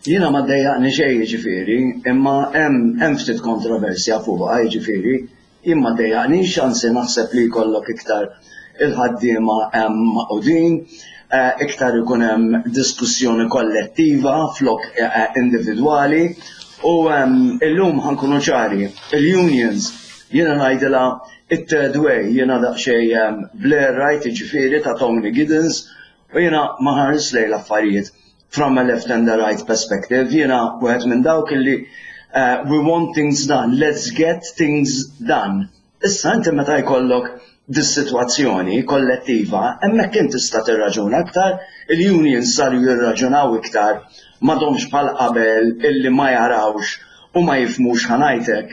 Jiena ma ddejjaqni xejn jiġifieri, imma hemm hemm ftit kontroversja fuqha jiġifieri. Jien ma ddejjaqnix, anzi naħseb li jkollok iktar il-ħaddiema hemm magħqudin, iktar ikun hemm diskussjoni kollettiva flok individwali u illum ħa nkunu ċari, il-unions jiena ngħidilha it-third way, jiena daqsxejn Blairite jiġifieri ta' Tony Giddens u jiena ma nħares lejn l-affarijiet from a left and a right perspective, jiena wieħed minn dawk illi uh, we want things done, let's get things done. Issa inti meta jkollok dis-sitwazzjoni kollettiva, hemmhekk inti tista' tirraġuna iktar, il-unions saru jirraġunaw iktar, m'għadhomx bħal qabel illi ma jarawx u ma jifhmux ħanajtek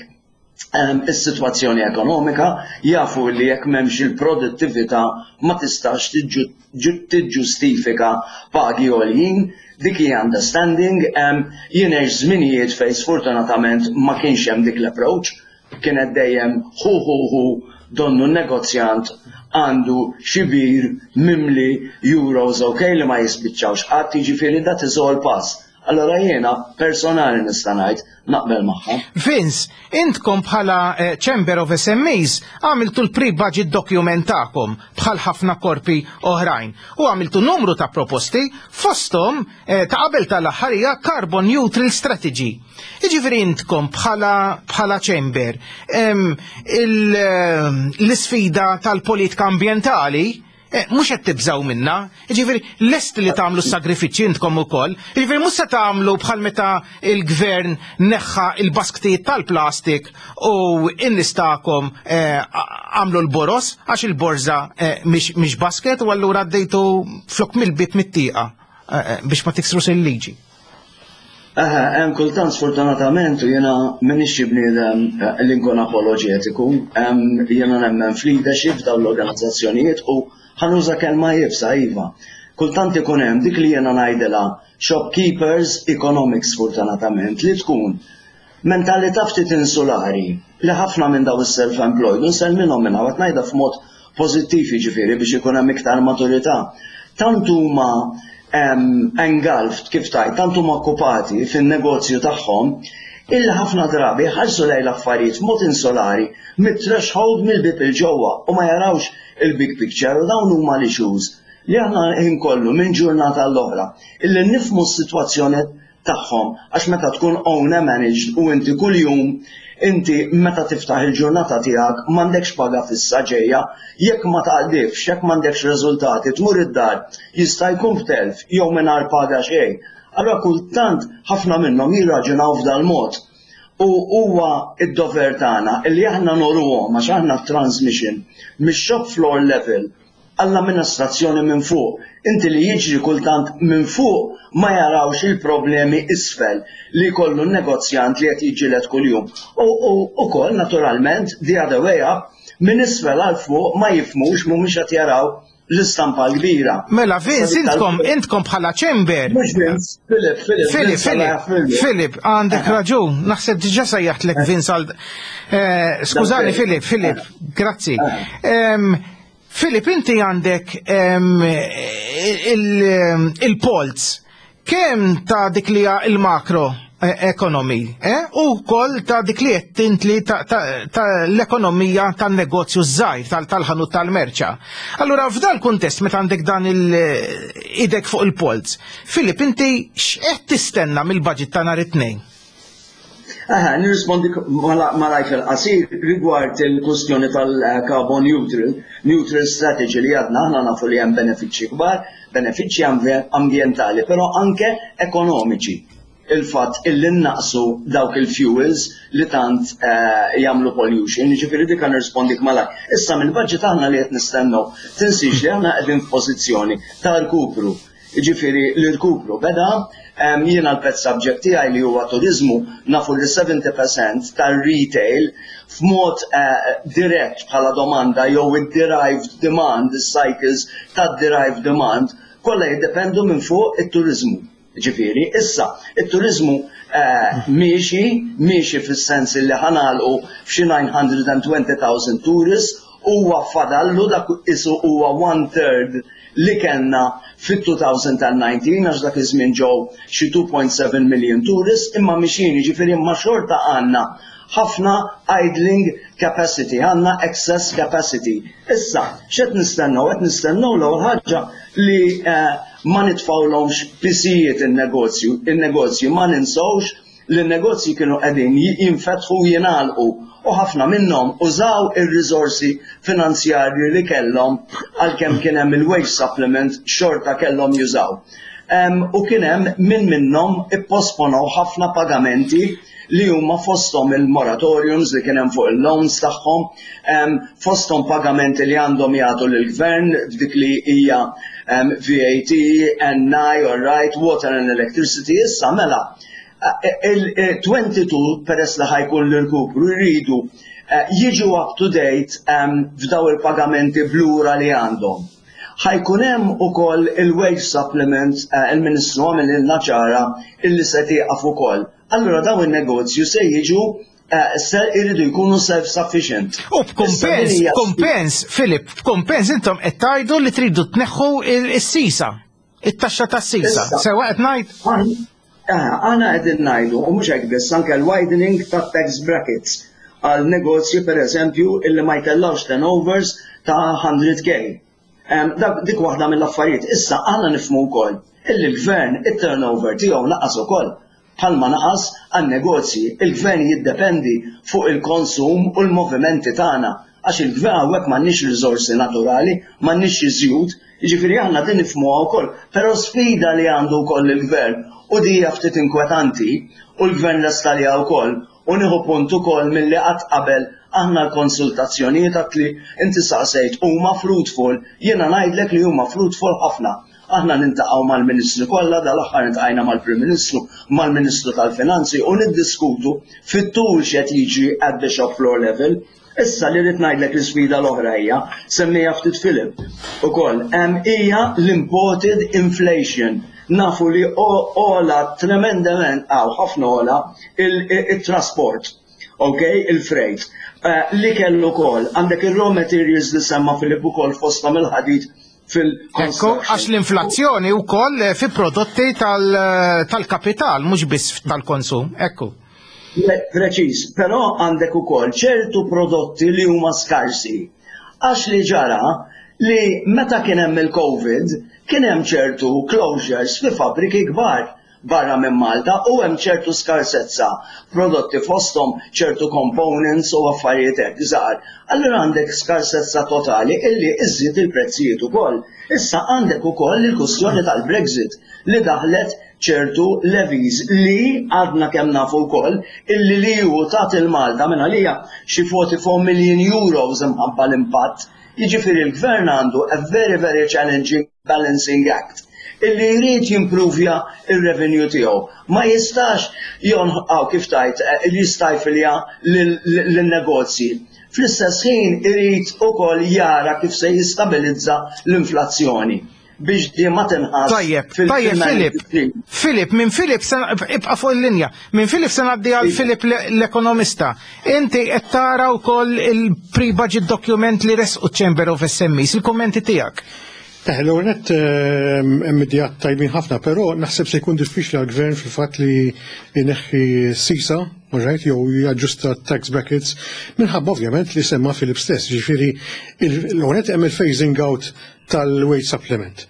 is-sitwazzjoni ekonomika, jafu li jekk m'hemmx il-produttività ma tistax tiġġustifika pagi għoljin, dik hija understanding, jien għext żminijiet fejn sfortunatament ma kienx hemm dik l-approach, kienet dejjem hu hu hu donnu n-negozjant għandu xi bir mimli euros ok li ma jispiċċawx qatt, jiġifieri that is all past. Allura jiena personali nista' ngħid naqbel magħha. Vince, intkom bħala eh, Chamber of SMEs għamiltu l-pre-budget document tagħkom bħal ħafna korpi oħrajn u għamiltu numru ta' proposti fosthom eh, ta' qabel tal-aħħar hija Carbon Neutral Strategy. Jiġifieri intkom bħala bħala Chamber eh, l-isfida tal-politika ambjentali Eh, mhux qed tibżgħu minna, jiġifieri lest li tagħmlu sagrifiċċji intkom ukoll, jiġifieri mhux se tagħmlu bħal meta il-gvern neħħa il-basktijiet tal-plastik u n-nies tagħkom eh, għamlu l-boros għax il-borża eh, mhix basket u allura għaddejtu flok mill-bib mit-tieqa biex ma tiksrux il-liġi. Eħe, hemm kultant sfortunatament u jiena m'iniex xi bniedem eh, li nkun apoloġetiku, jiena nemmen f'leadership f'dawn l-organizzazzjonijiet u ħanuża kelma iebsa iva. Kultant ikun hemm dik li jiena ngħidilha shopkeepers economics sfortunatament li tkun mentalità ftit insulari li ħafna minn daw is-self-employed u nsellmilhom minn hawn qed ngħidha f'mod pożittiv jiġifieri biex ikun hemm iktar maturità. Tant huma Engulfed, kif tgħid, tant huma okkupati fin-negozju tagħhom illi ħafna drabi jħarsu lejn l-affarijiet b'mod insolari mit-threshold mill-bieb 'il ġewwa u ma jarawx il-big picture u dawn huma l-issues li aħna l-ħin kollu minn ġurnata għall-oħra illi nifhmu s-sitwazzjoni tagħhom għax meta tkun owner managed u inti kuljum inti meta tiftaħ il-ġurnata tiegħek m'għandekx paga fissa ġejja, jekk ma taqdifx, jekk m'għandekx riżultati tmur id-dar jista' jkun b'telf jew mingħajr paga xejn. Allura kultant ħafna minnhom jirraġunaw f'dal-mod. U huwa d-dover tagħna illi aħna nuruhom għax aħna t-transmission mix-shop floor level għall-amministrazzjoni minn fuq. Inti li jiġri kultant minn fuq ma jarawx il-problemi isfel li jkollu n-negozjant li qed jiġġieled kuljum. U ukoll naturalment the other way up minn isfel għal fuq ma jifhmux mhumiex qed jaraw l-istampa l-kbira. Mela Vince, intkom intkom bħala chamber. Mhux Vince, Filip, Filip. Filip, Filip, Filip, għandek raġun. Naħseb diġà sejjaħtlek Vince għal. Eh, skużani Filip, Filip, grazzi. Filip, inti għandek il-polz kemm ta' dik li il-makro eh, economy eh, u kol ta' dik li qed tintli ta' l-ekonomija tan-negozju żgħir tal-ħanut tal-merċa. Allura f'dal kuntest meta għandek dan il-idek fuq il-polz, Filip, inti x'qed tistenna mill-budget ta' nhar it-tnejn? Aha, nirrispondi malajr fil-qasir rigward il-kwestjoni tal-carbon neutral, neutral strategy li għadna aħna nafu li hemm benefiċċji kbar, benefiċċji ambjentali, però anke ekonomiċi. Il-fatt illi naqsu dawk il-fuels li tant eh, jagħmlu pollution, jiġifieri dik nirrispondik malajr. Issa mill-budget aħna li qed nistennew, tinsix li aħna qegħdin f'pożizzjoni ta' rkupru Jiġifieri l-irkupru beda, jiena l-pet subject tiegħi li huwa turiżmu nafu li 70% tar-retail f'mod eh, dirett bħala domanda jew id-derived demand, is-cycles tad-derived demand, kollha jiddependu minn fuq it-turiżmu. Ġifieri, issa, it-turiżmu eh, miexi, miexi fis-sens li ħanalqu f'xi 920,000 tourists huwa fadallu dak isu huwa one third li kellna fit-2019 għax dak iż-żmien ġew xi 2.7 million tourists imma mixjin jiġifieri imma xorta għandna ħafna idling capacity, għandna excess capacity. Issa, x'qed nistennew? Qed nistennew l-ewwel ħaġa li eh, ma nitfgħulhomx pisijiet in-negozju, in-negozji ma ninsewx li n-negozji kienu qegħdin jinfetħu u jingħalqu u ħafna minnhom użaw ir-riżorsi finanzjarji li kellhom għalkemm kien hemm il-wage supplement xorta kellhom jużaw. U kien hemm min minnhom ipposponow ħafna pagamenti li huma fosthom il-moratoriums li kien hemm fuq il-loans tagħhom, fosthom pagamenti li għandhom jagħtu lill-gvern f'dik li hija VAT, NI, all right, water and electricity, issa mela il-22 peress li ħajkun l-irkupru jridu eh, jiġu up to date f'daw il-pagamenti blura li għandhom. Ħajkun hemm ukoll il-wage supplement eh, il-Ministru għamililna ċara illi se tieqaf ukoll. Allura daw in-negozju se jiġu eh, se jridu jkunu self-sufficient. U b'kumpens, b'kumpens, Filip, b'kumpens intom qed tgħidu li tridu tneħħu is-sisa. It-taxxa tas-sisa. Sewa qed ngħid? Eh, aħna qegħdin ngħidu, u mhux hekk biss, anke l-widening tat-tax brackets għal negozji pereżempju illi ma jtellgħux turnovers ta' 100k. Dik waħda mill-affarijiet. Issa aħna nifhmu wkoll illi l-gvern it-turnover tiegħu naqas ukoll bħalma naqas għan-negozji. Il-gvern jiddependi fuq il-konsum u l-movimenti tagħna għax il-gvern hawnhekk m'għandniex riżorsi naturali, m'għandniex xi żjut, jiġifieri aħna din nifhmuha wkoll. Però sfida li għandu wkoll il-gvern u di hija ftit inkwetanti u l-gvern lest għaliha wkoll u nieħu punt ukoll milli qatt qabel aħna l-konsultazzjonijiet għat li inti saqsejt huma fruitful, jiena ngħidlek li huma fruitful ħafna. Aħna nintaqgħu mal-Ministri kollha, dal-aħħar intqajna mal-Prim Ministru, mal-Ministru tal-Finanzi u niddiskutu fit-tul x'qed jiġri at the shop floor level. Issa li rrid ngħidlek l-isfida l-oħra hija, semmejha ftit Philip ukoll, hija l-imported inflation. Nafu li ogħla tremendament, hawn ħafna ogħla it-trasport, ok, il-freight. Eh, li kellu ukoll, għandek ir-raw materials li semma Philip ukoll fosthom il-ħadid. Ekku, għax l-inflazzjoni wkoll eh, fi prodotti tal-kapital, mhux biss tal-konsum, ekku. Preċiż, però għandek ukoll ċertu prodotti li huma skarsi. Għax li ġara li meta kien hemm il-Covid, kien hemm ċertu closures fi fabbriki kbar barra minn Malta u hemm ċertu skarsezza prodotti fosthom ċertu components u affarijiet hekk żgħar. Allura għandek skarsezza totali illi iżżid il-prezzijiet ukoll. Issa għandek ukoll il-kwistjoni tal-Brexit li daħlet ċertu levies li għadna kemm nafu wkoll illi l-EU tat 'il Malta minn għalija xi 44 million euros imħabba l-impatt. Jiġifieri l-Gvern għandu a very very challenging balancing act illi jrid jimpruvja r-revenue tiegħu. Ma jistax jonħqaw kif tgħid eh, jistajfilja lin-negozji. Fl-istess ħin irid ukoll jara kif se jistabilizza l-inflazzjoni biex di ma tinħass. Tajjeb, tajjeb Filip. Filip, minn Filip se ibqa' fuq il-linja. Minn Filip se ngħaddi għal Filip l-ekonomista. Inti qed tara wkoll il-pre-budget document li resqu Chamber of SMEs, il-kummenti tiegħek. Eh, l-ewwel nett ehm, hemm ideat tajbin ħafna, però naħseb se jkun diffiċli għall-gvern fil-fatt li jneħħi sisa, right, jew jaġġusta tax brackets, minħabba ovvjament li semma Filip stess, ġifieri l-ewwel nett hemm il-phasing out tal-wage supplement.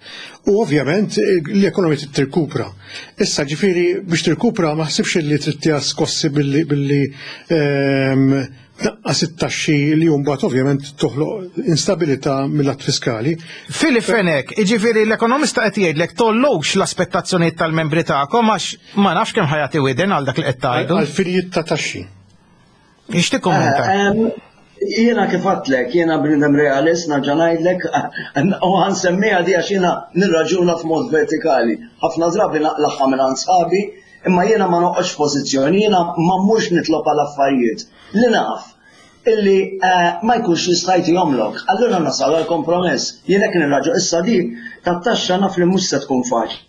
U ovvjament l-ekonomija trid tirkupra. Issa ġifieri biex tirkupra ma ħsibx li trid tiha skossi billi billi ehm, tnaqqas it-taxxi li mbagħad ovvjament toħloq instabilità mill-att fiskali. Filip Fenech, jiġifieri l-ekonomista qed jgħidlek tollux l-aspettazzjonijiet tal-membri tagħkom għax ma nafx kemm ħajati widen għal dak li qed tgħidu. Għal finijiet ta' taxxi. Ixtieq kummenta. Eh, jiena kif għadtlek, jiena bniedem realist, nerġa' ngħidlek, u ħansemmiha di għax jiena nirraġuna f'mod vertikali. Ħafna drabi naqlagħha minn sħabi, Imma jiena ma noqgħodx f'pożizzjoni, jiena ma mmurx nitlob għal affarijiet li naf illi eh, ma jkunx jista' jtihomlok. Allura nasal għal kompromess. Jien hekk nirraġu issa di tat-taxxa naf li mhux se tkun faċli.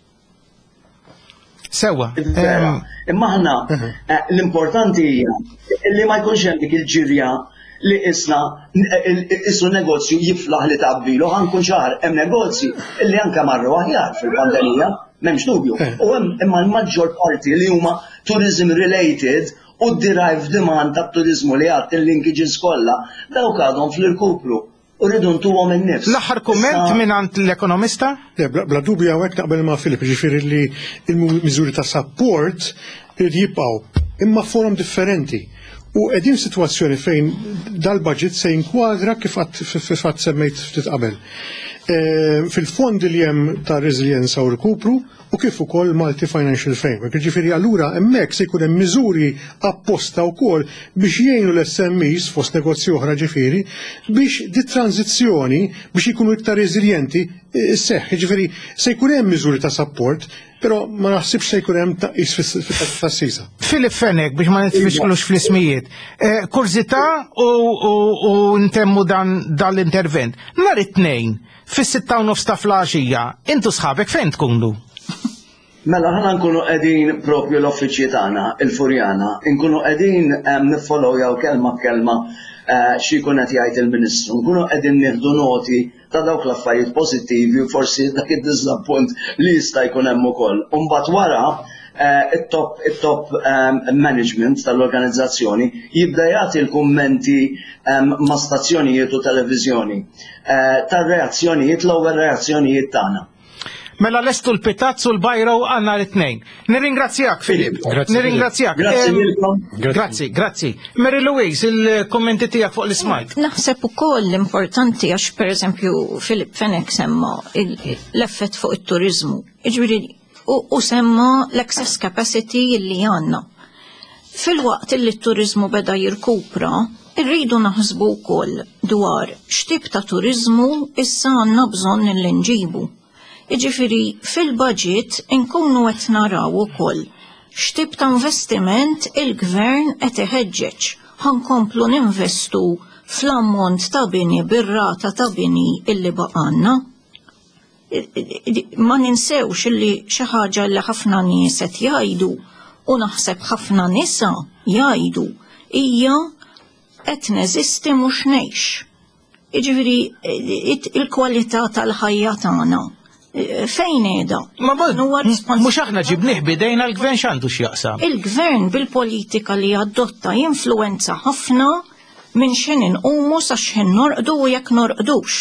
Sewa. Imma aħna mhm. eh, l-importanti hija li ma jkunx hemm dik il-ġirja li isna isu negozju jiflaħ li tgħabbilu ħa nkun ċar hemm negozji illi anke marru aħjar fil-pandemija, m'hemmx dubju. Eh. U hemm imma l-maġġor parti li huma tourism related u derived demand ta' turizmu li għad il-linkages kollha, dawk għadhom fl-irkupru u rridu ntuhom in-nifs. L-aħħar kumment mingħand l-ekonomista? Bla dubju hawnhekk naqbel ma' Filip, ġifieri li l-miżuri ta' support irid jibqgħu imma forom differenti. U qegħdin f'sitwazzjoni fejn dal-budget se jinkwadra kif qatt semmejt ftit qabel. Eh, fil-fondi li hemm ta' reżiljenza u rkupru u kif ukoll Malti Financial Framework. Ġifieri allura hemmhekk se jkun hemm miżuri apposta wkoll biex jgħinu l-SMEs fost negozji oħra ġifieri biex di tranzizzjoni biex ikunu iktar reżiljenti eh, seħħ. Ġifieri se jkun hemm miżuri ta' support Però ma naħsibx se jkun hemm tnaqqis fis-sisa. Filip Fenech biex ma nitfixklux fl-ismijiet. Eh, kurżità u ntemmu dan l-intervent. Nhar it-tnejn, fis-sitta u nofs ta' flaxija, intu sħabek fejn tkunu? Mela ħana nkunu qegħdin propju l-uffiċċji tagħna, il-Furjana, nkunu qegħdin eh, niffollowjaw kelma b'kelma eh, xi jkun qed jgħid il-Ministru, nkunu qegħdin nieħdu noti ta' dawk l-affarijiet pożittivi u forsi dak id-diżappunt li jista' jkun hemm ukoll. U mbagħad wara eh, it-top it-top ehm, management tal-organizzazzjoni jibda jagħti l-kummenti ehm, ma' stazzjonijiet u televiżjoni eh, tar-reazzjonijiet l-ewwel reazzjonijiet tagħna. Mela lestu l-pitazz u l-bajro għanna l-tnejn. Nirringrazzjak, Filip. Nirringrazzjak. Grazzi lilkom. Grazzi, grazzi. Mary Louise, il-kommenti tiegħek fuq l-ismajt. Naħseb ukoll importanti għax pereżempju Filip Fenech semma l-effett fuq it-turizmu. Jiġifieri u semma l-excess capacity li għandna. Filwaqt li t-turizmu beda jirkupra, irridu naħsbu wkoll dwar x'tip ta' turiżmu issa għandna bżonn li nġibu. Jiġifieri fil-budget inkunu qed naraw ukoll x'tip ta' investiment il-gvern qed iħeġġeġ. Ħa nkomplu ninvestu fl-ammont ta' bini bir-rata ta' bini illi baqgħalna. Ma ninsewx illi xi ħaġa li ħafna nies qed jgħidu u naħseb ħafna nisa jgħidu hija qed neżisti mhux ngħix. Jiġifieri il-kwalità tal-ħajja tagħna fejn qiegħda? Ma mhux aħna ġibnih bidejna l-gvern x'għandu x'jaqsam. Il-gvern bil-politika li adotta jinfluwenza ħafna minn x'ħin inqumu sa x'ħin norqdu u jekk norqdux.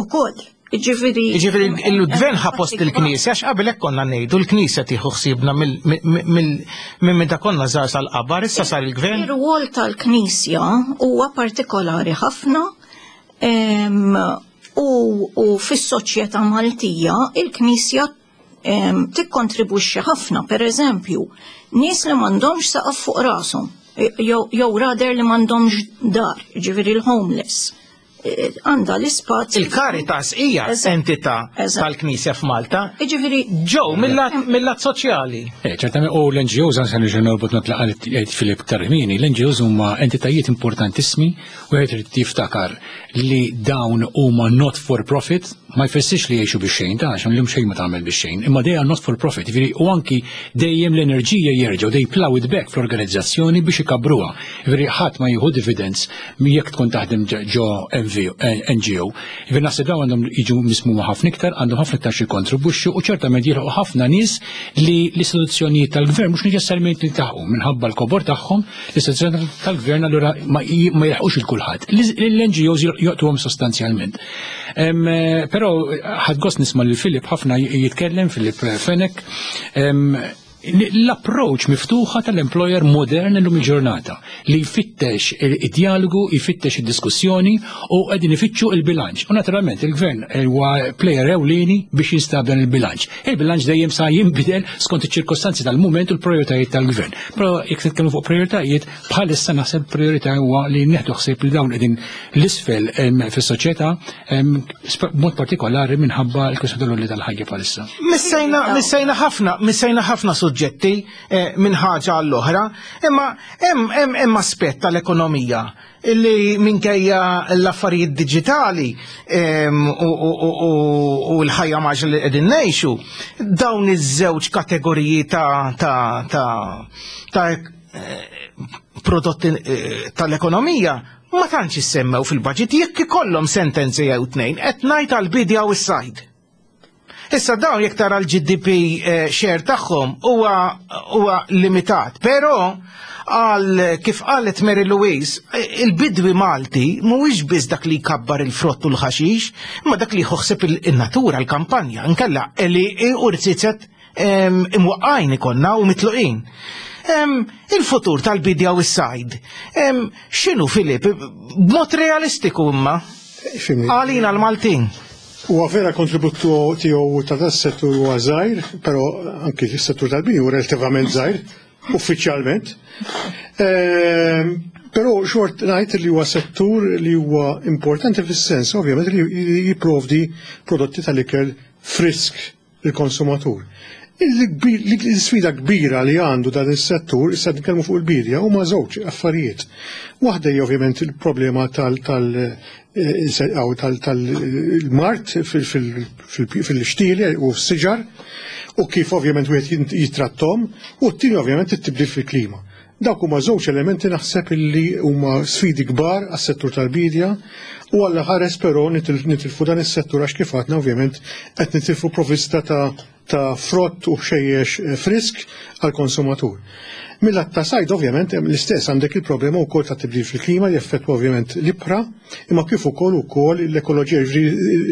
Ukoll. Ġifiri. Ġifiri, il-gvern ħa post il-knisja, għax qabel hekk konna ngħidu l-knisja tieħu ħsiebna minn meta konna żgħar sal-qabar, issa sar il-gvern. Ir-rwol tal-knisja huwa partikolari ħafna u fis-soċjetà Maltija il-knisja tikkontribwixxi ħafna, per eżempju, nies li m'għandhomx saqaf fuq rashom, jew rader li m'għandhomx dar, ġifieri l-homeless għandha l-ispazju. Il-Caritas hija entità tal-Knisja f'Malta. Jiġifieri ġew mill-lat soċjali. Eh, ċertament u l-NGOs għan se nerġa' norbot not li qal Filip Tarmini, l-NGOs huma entitajiet importantissimi u wieħed irid jiftakar li dawn huma not for profit, ma jfissirx li jgħixu bix-xejn, ta' għax llum xejn ma tagħmel bix-xejn, imma they are not for profit, jiġifieri u anki dejjem l-enerġija jerġgħu they plow it back fl-organizzazzjoni biex ikabbruha. Jiġifieri ħadd ma jieħu dividends jekk tkun taħdem ġo NGO. Jiġifieri naħseb dawn għandhom jiġu mismuma ħafna iktar, għandhom ħafna iktar xi jikkontribwixxu u ċertament jilħqu ħafna nies li l-istituzzjonijiet tal-gvern mhux neċessarjament jiltaħqu minħabba l-kobor tagħhom, l-istituzzjonijiet tal-gvern allura ma jilħqux il kulħadd. L-NGOs joqtuhom sostanzjalment. Eh, però ħadd gost nisma' lil Filip ħafna jitkellem, Filip Fenech, l-approach miftuħa tal-employer modern illum il-ġurnata li jfittex id-dialogu, jfittex id-diskussjoni u qegħdin ifittxu il-bilanċ. U naturalment il-gvern huwa player ewlieni biex jinstab dan il-bilanċ. Il-bilanċ dejjem sa jinbidel skont iċ-ċirkostanzi tal-mument u l-prioritajiet tal-gvern. Però jekk nitkellmu fuq prioritajiet, bħalissa naħseb priorità huwa li neħdu ħsieb li dawn qegħdin l-isfel fis-soċjetà b'mod partikolari minħabba l-kwistjoni tal-għoli tal-ħajja bħalissa. Missejna missejna ħafna, missejna ħafna suġġetti eh, minn ħaġa għall-oħra, imma hemm hemm aspett tal-ekonomija illi minkejja l-affarijiet diġitali u l-ħajja maġla li qegħdin ngħixu, dawn iż-żewġ kategoriji ta' ta' ta' ta' eh, prodotti eh, tal-ekonomija ma tantx issemmew fil-budget jekk ikollhom sentenzi jew tnejn qed ngħid għall-bidja u s-sajd. Issa dawn jekk tara l-GDP eh, share tagħhom huwa huwa limitat, però għal kif qalet Mary Louise, eh, il-bidwi Malti mhuwiex biss dak li jkabbar il-frott u l-ħaxix, imma dak li jħossib il-natura, l-kampanja, nkella li u rziezet imwaqqajn ikonna u mitluqin. Il-futur tal-bidja u s-sajd, x'inhu Filip, b'mod realistiku imma? Għalina l-Maltin. Huwa vera kontribut tiegħu ta' das settur huwa żgħir, però anki s-settur tal-bini huwa relattivament żgħir, uffiċjalment. Ehm, però xort ngħid li huwa settur li huwa importanti fis-sens ovvjament li jipprovdi prodotti tal-ikel frisk il-konsumatur. L-sfida kbira li għandu dan is-settur, issa nitkellmu fuq il-bidja, huma żewġ affarijiet. Waħda hija ovvjament il-problema tal-mard fil-xtieli u f-siġar u kif ovvjament wieħed jitrattom, u t-tieni ovvjament it-tibdil fil-klima. Dawk huma żewġ elementi naħseb illi huma sfidi kbar għas-settur tal-bidja u Alla ħares però nitilfu dan is-settur għax kif għadna ovvjament qed nitilfu provvista ta' ta' frott u ħxejjex eh, frisk għall-konsumatur. Mill-att ta' sajd ovvjament hemm l-istess għandek il-problema wkoll ta' tibdil fil-klima li jaffettwa ovvjament l-ibħra, imma kif ukoll ukoll l-ekoloġija,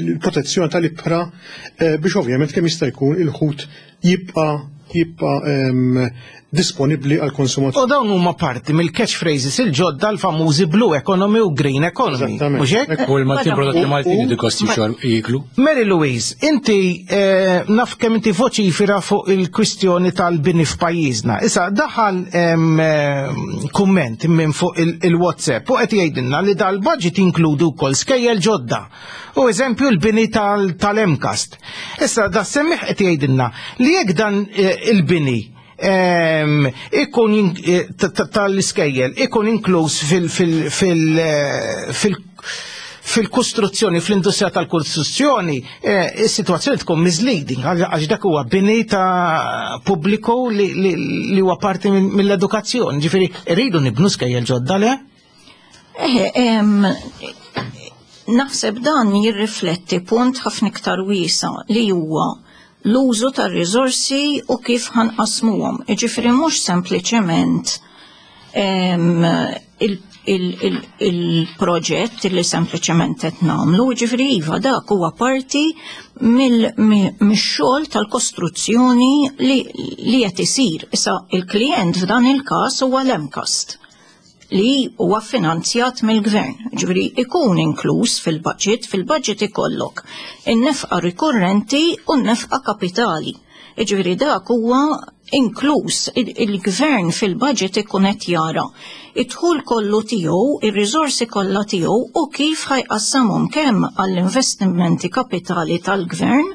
l-protezzjoni tal-ibħra eh, biex ovvjament kemm jista' jkun il-ħut jibqa' jibqa' disponibbli għal konsumatur. U dawn huma parti mill-catchphrases il-ġodda l-famużi blue economy u green economy. Mhux hekk? U l-Maltin prodotti Maltin li kosti xor jiklu. Mary Louise, inti eh, naf kemm inti voċifira fuq il-kwistjoni tal-bini f'pajjiżna. Issa daħal eh, kumment minn fuq il-WhatsApp u qed jgħidilna li dal-budget jinkludu wkoll skejjel ġodda. U eżempju l-bini tal-MCAST. Issa da semmiħ qed jgħidilna li jekk dan eh, il-bini ehm, ikun eh, tal-iskejjel ikun inkluż eh, fil-kostruzzjoni, fl-industrija tal-kostruzzjoni, is-sitwazzjoni tkun misleading għax dak huwa bini ta' pubbliku li huwa parti mill-edukazzjoni. Ġifieri rridu nibnu skejjel ġodda le? Naħseb dan jirrifletti punt ħafna iktar wiesa' li huwa l-użu tar-riżorsi u kif ħa nqassmuhom. Jiġifieri mhux sempliċement il-proġett li sempliċement qed nagħmlu, jiġifieri iva dak huwa parti mix-xogħol tal-kostruzzjoni li qed isir. Issa il-klijent f'dan il-każ huwa l-MCAST li huwa finanzjat mill-gvern. Ġifieri ikun inkluż fil-budget, fil-budget ikollok in-nefqa rikurrenti u n-nefqa kapitali. Jiġifieri dak huwa inkluż il-gvern fil-budget ikun qed jara id-dħul kollu tiegħu, ir-riżorsi kollha tiegħu u kif ħa jqassamhom kemm għall-investimenti kapitali tal-gvern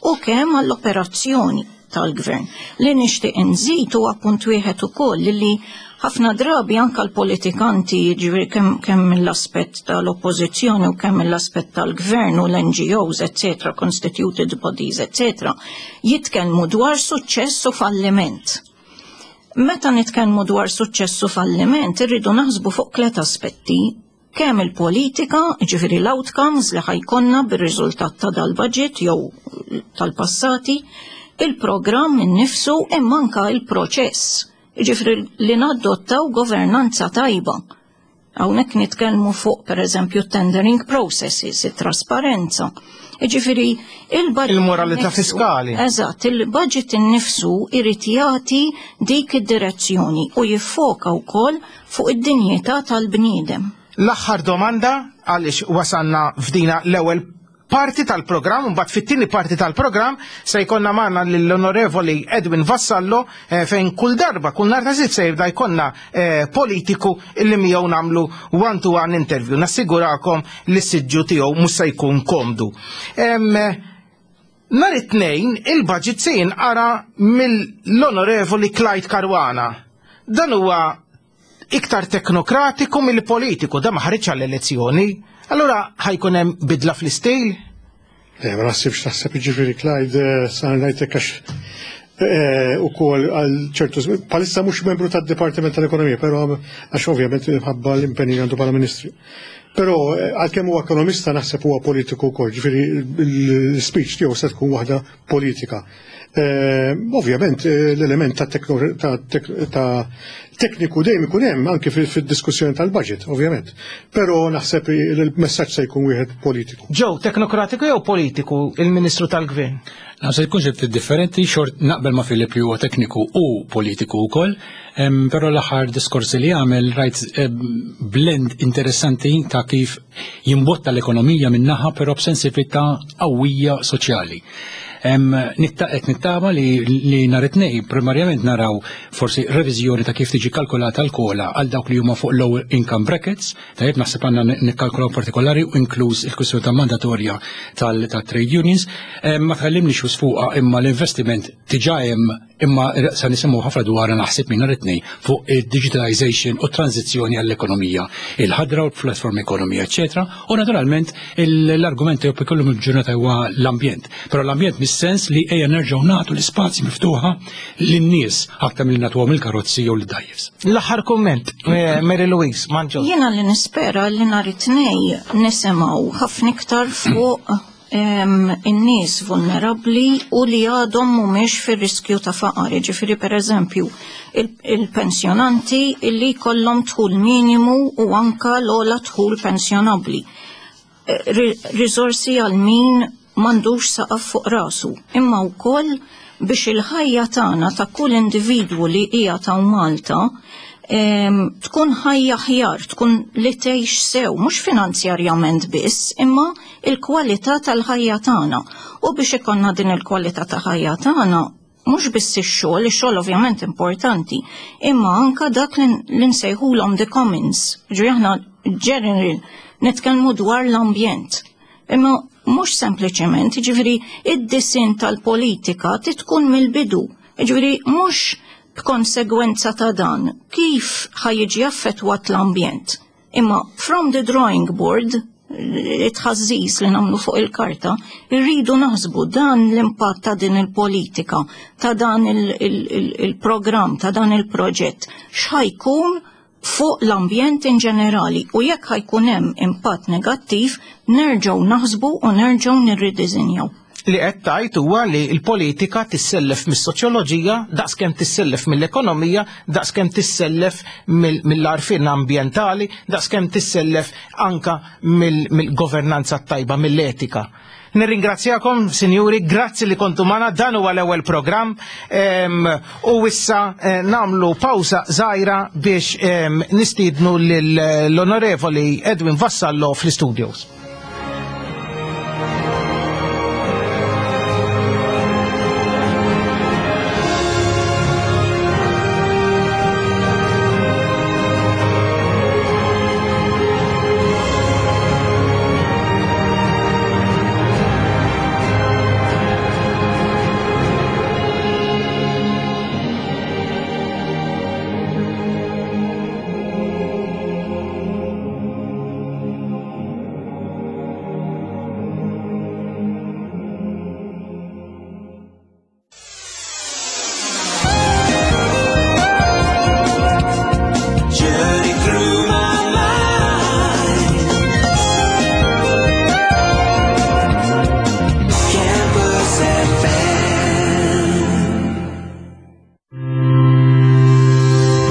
u kemm għall-operazzjoni tal-gvern. Li nixtieq inżid huwa punt wieħed ukoll li ħafna drabi anka l-politikanti jiġifieri kemm kemm mill-aspett tal-oppożizzjoni u kemm mill-aspett tal-gvern u l-NGOs, etc., constituted bodies, etc., jitkellmu dwar suċċess u falliment. Meta nitkellmu dwar suċċess u falliment, irridu naħsbu fuq tliet aspetti kemm il-politika, ġifieri l-outcomes li ħa jkollna bir-riżultat ta' dal-budget jew tal-passati, il-programm innifsu imma anka il-proċess. Ġifieri li nadottaw governanza tajba. Hawnhekk nitkellmu fuq pereżempju tendering processes, it-trasparenza. Ġifieri il-budget Il-moralità fiskali. Eżatt, il-budget innifsu irid jagħti dik id-direzzjoni u jiffoka wkoll fuq id-dinjità tal-bniedem. L-aħħar domanda għaliex wasalna f'dina l-ewwel parti tal-programm, mbagħad fit-tieni parti tal-programm se jkollna magħna lill-Onorevoli Edwin Vassallo fejn kull darba, kull nhar ta' Sibt se jibda jkollna politiku illi miegħu nagħmlu one-to-one interview. Nassigurakom li s-siġġu tiegħu mhux se jkun komdu. Nhar it-Tnejn il-budget se jinqara mill-Onorevoli Clyde Caruana. Dan huwa iktar teknokratiku mill-politiku, da ma ħareġ għall-elezzjoni. Allura ħa jkun hemm bidla fl-istil? Le, ma naħsibx naħseb jiġifieri Clyde sa ngħidlek għax ukoll għal ċertu żmien bħalissa mhux membru tad-Dipartiment tal-Ekonomija, però għax ovvjament minħabba l-impenji li għandu bħala Ministru. Però għalkemm huwa ekonomista naħseb huwa politiku wkoll, ġifieri l-speech tiegħu se tkun waħda politika. Ovvjament l-element ta' ta' tekniku dejjem ikun hemm anke fid-diskussjoni tal-budget, ovvjament. Però naħseb il-messaġġ se jkun wieħed politiku. Joe, teknokratiku jew politiku il-Ministru tal-Gvern? Naħseb jkun xi ftit differenti, xort naqbel ma' Filip li huwa tekniku u politiku wkoll, però l-aħħar diskorsi li għamel rajt blend interessanti ta' kif jimbotta l-ekonomija min-naħa però b'sensitività qawwija soċjali. Qed nittama li nhar it-Tnejn primarjament naraw forsi reviżjoni ta' kif tiġi kalkulata l-COLA għal dawk li huma fuq low income brackets, tajjeb naħseb għandna nikkalkulaw partikolari u inkluż il-kwistjoni ta' mandatorja tal-trade unions. Ma tkellimniex fuqha imma l-investiment diġà hemm imma sa nisimgħu ħafna dwar naħseb minn nhar it-Tnejn fuq il-digitalization u tranzizzjoni għall-ekonomija, il-ħadra u l-platform economy, eccetera. U naturalment l-argument jew kollu mill-ġurnata huwa l-ambjent. Però l-ambjent mis-sens li ejja nerġgħu nagħtu l-ispazji miftuħa lin-nies aktar milli nagħtuhom il-karozzi jew l-dgħajjes. L-aħħar kumment, Mary Louise, Manġo. Jiena li nispera li nhar it-Tnejn nisimgħu ħafna iktar fuq in-nies vulnerabbli u li għadhom mhumiex fir-riskju ta' faqar. Ġifieri pereżempju il-pensjonanti li jkollhom dħul minimu u anka l-ogħla dħul pensjonabbli. Riżorsi għal min m'għandux saqaf fuq rasu, imma wkoll biex il-ħajja tagħna ta' kull individwu li hija ta' Malta tkun ħajja aħjar, tkun li tgħix sew, mhux finanzjarjament biss, imma il-kwalità tal-ħajja tagħna. U biex ikollna din il-kwalità ta' ħajja tagħna, mhux biss ix-xogħol, ix-xogħol ovvjament importanti, imma anka dak li nsejħulhom the commons. Ġifieri aħna general nitkellmu dwar l-ambjent. Imma mhux sempliċement, ġifieri id-disinn tal-politika tkun mill-bidu. Ġifieri mhux b'konsegwenza ta' dan kif ħa jiġi affettwat l-ambjent. Imma from the drawing board, it-tħażżiż li nagħmlu fuq il-karta, irridu naħsbu dan l-impatt ta' din il-politika, ta' dan il-programm, ta' dan il-proġett, x'ħa jkun fuq l-ambjent in ġenerali u jekk ħa jkun hemm impatt negattiv nerġgħu naħsbu u nerġgħu nirridiżinjaw. Li qed tgħid huwa li l-politika tissellef mis-soċjoloġija daqskemm tissellef mill-ekonomija, daqskemm tissellef mill-għarfien ambjentali, daqskemm tissellef anka mill-governanza tajba, mill-etika. Nirringrazzjakom, sinjuri, grazzi li kontu magħna, dan huwa l-ewwel programm u issa eh, nagħmlu pawsa żgħira biex nistiednu lill-Onorevoli Edwin Vassallo fl-istudios.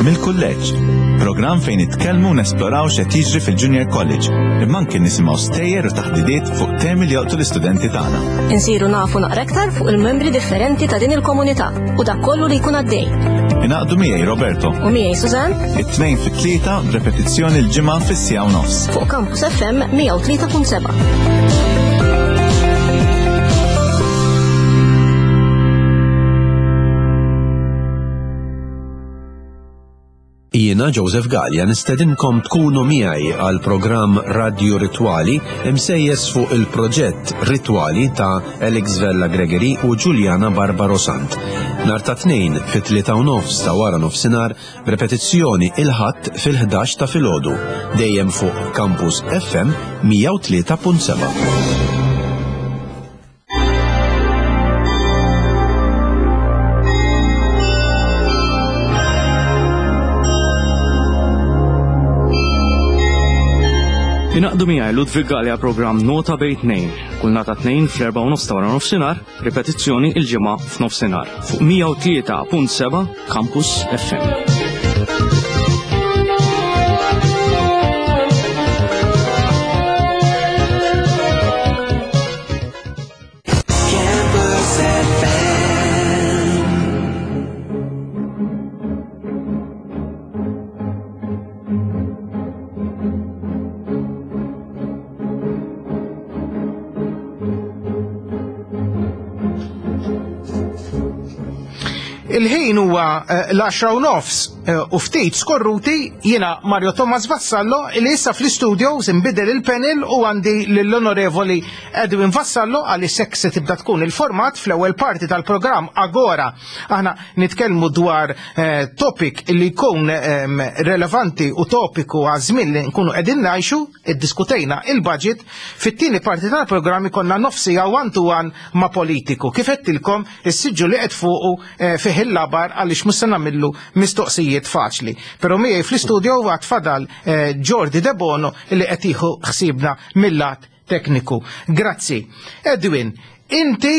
Mill-kulleġġ, programm fejn nitkellmu u nesploraw x'qed jiġri fil-Junior College, imma anke nisimgħu stejjer u taħdidiet fuq temi li jolqtu l-istudenti tagħna. Insiru nafu naqra aktar fuq il-membri differenti ta' din il-komunità u dak kollu li jkun għaddej. Ingħaqdu miegħi Roberto. U miegħi Suzanne. It-tnejn fit-tlieta b'repetizzjoni l-ġimgħa fis-siegħa u nofs. Fuq Campus FM 103.7. Jiena Joseph Galea nistedinkom tkunu miegħi għal programm Radju Ritwali imsejjes fuq il-proġett Ritwali ta' Alex Vella Gregory u Giuliana Barbaro Sant. Nhar ta' Tnejn fit-3 u nofs ta' wara nofsinhar b'repetizzjoni il-Ħadd fil-11 ta' filgħodu, dejjem fuq Campus FM 103.7. Ingħaqdu miegħi Ludwig Galea programm Nota bejn tnejn, kull nhar ta' tnejn fl-4 u nofs ta' wara nofsinhar, ripetizzjoni il-ġimgħa f'nofsinhar fuq 103.7 Campus FM. Campus FM. Il-ħin huwa eh, l-10 u nofs eh, u ftit skorruti jiena Mario Thomas Vassallo li issa fl-istudio inbidel il-panel u għandi lill-onorevoli Edwin Vassallo għaliex hekk se tibda tkun il-format fl-ewwel parti tal-programm Agora. Aħna nitkellmu dwar eh, topic li jkun ehm, relevanti u topiku għaż-żmien li nkunu qegħdin ngħixu, iddiskutejna il-budget, fit-tieni parti tal-programm ikollna nofs siegħa one to one ma' politiku. Kif għedtilkom, is-siġġu li qed fuqu eh, fih il-labar għaliex mhux se nagħmillu mistoqsijiet faċli. Però miegħi fl-istudio għad fadal eh, Jordi Debono li qed jieħu ħsiebna mill-lat tekniku. Grazzi. Edwin, inti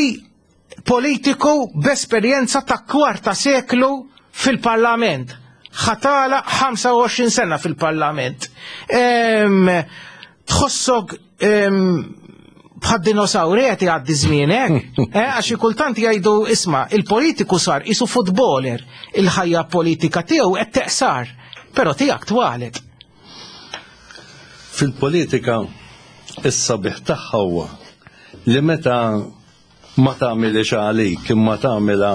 politiku b'esperjenza ta' kwarta seklu fil-parlament. Ħa tagħlaq 25 sena fil-parlament. Tħossok bħad dinosauri qed jgħaddi żmienek, eh, għax kultant jgħidu isma' il-politiku sar qisu footballer, il-ħajja politika tiegħu qed teqsar, però tiegħek twalet. Fil-politika is-sabiħ tagħha huwa li meta ma tagħmilx għalik imma tagħmilha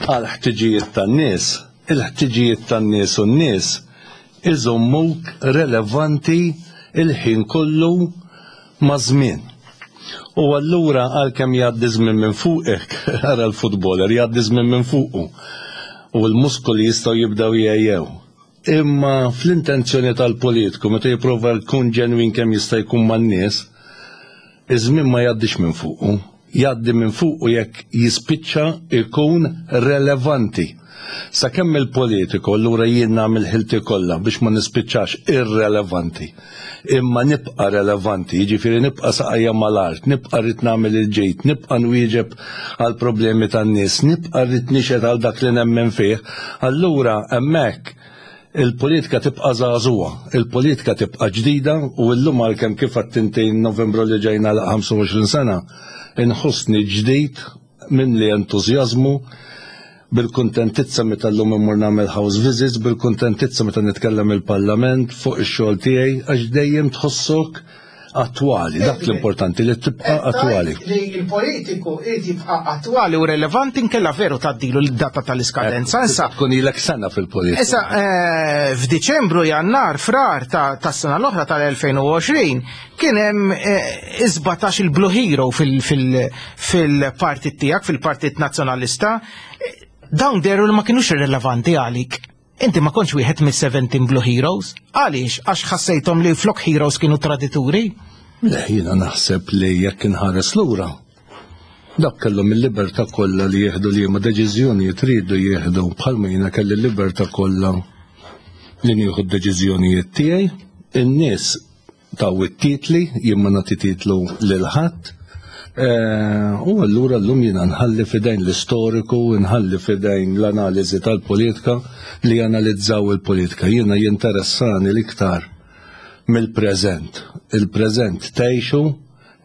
għal ħtiġijiet tan-nies, il-ħtiġijiet tan-nies u n-nies iżommuk relevanti il-ħin kollu ma' żmien. U allura għalkemm jgħaddi żmien minn fuqek, ara l-footballer jgħaddi żmien minn fuqu u l-muskoli jistgħu jibdew jgħejjew. Imma fl-intenzjoni tal-politiku meta jipprova jkun ġenwin kemm jista' jkun man-nies, iż-żmien ma jgħaddix minn fuqu. Jgħaddi minn fuqu jekk jispiċċa jkun relevanti. Sakemm il-politiku allura jien nagħmel ħilti kollha biex ma nispiċċax irrelevanti, imma nibqa' relevanti, jiġifieri nibqa' saqajja mal-art, nibqa' rrid nagħmel il-ġid, nibqa' nwieġeb għall-problemi tan-nies, nibqa' rrid nixhed għal dak li nemmen fih, allura hemmhekk il-politika tibqa' żagħżugħa, il-politika tibqa' ġdida u llum għalkemm kif għedt inti Novembru li ġej nagħlaq 25 sena, inħossni ġdid, mimli entużjażmu, bil-kuntentizza meta llum immur nagħmel house visits, bil-kuntentizza meta nitkellem il-Parlament fuq ix-xogħol tiegħi għax dejjem tħossok attwali, dak l-importanti li tibqa' attwali. Li l-politiku irid jibqa' attwali u relevanti nkella veru tgħaddilu l-data tal-iskadenza. Issa tkun ilek sena fil-politika. Issa eh, f'Diċembru, Jannar, Frar tas-sena l-oħra tal-2020 kien hemm eh, 17 il-Blue Hero fil-partit tiegħek, fil-Partit Nazzjonalista. Dawn deru li ma kienux irrelevanti għalik. Inti ma kontx wieħed mis-17 Blue Heroes. Għaliex? Għax ħassejthom li flok heroes kienu tradituri? Le, jiena naħseb li jekk inħares lura, dak kellhom il-libertà kollha li jieħdu liema deċiżjonijiet riedu jieħdu bħalma jiena kelli l-libertà kollha li nieħu d-deċiżjonijiet tiegħi. In-nies taw it-titli, jien ma nagħti titlu lil ħadd. Eh, u allura llum jiena nħalli fidejn l-istoriku, nħalli fidejn l-analiżi tal-politika li janalizzaw il-politika. Jiena jinteressani l-iktar mill-preżent. Il-preżent tgħixu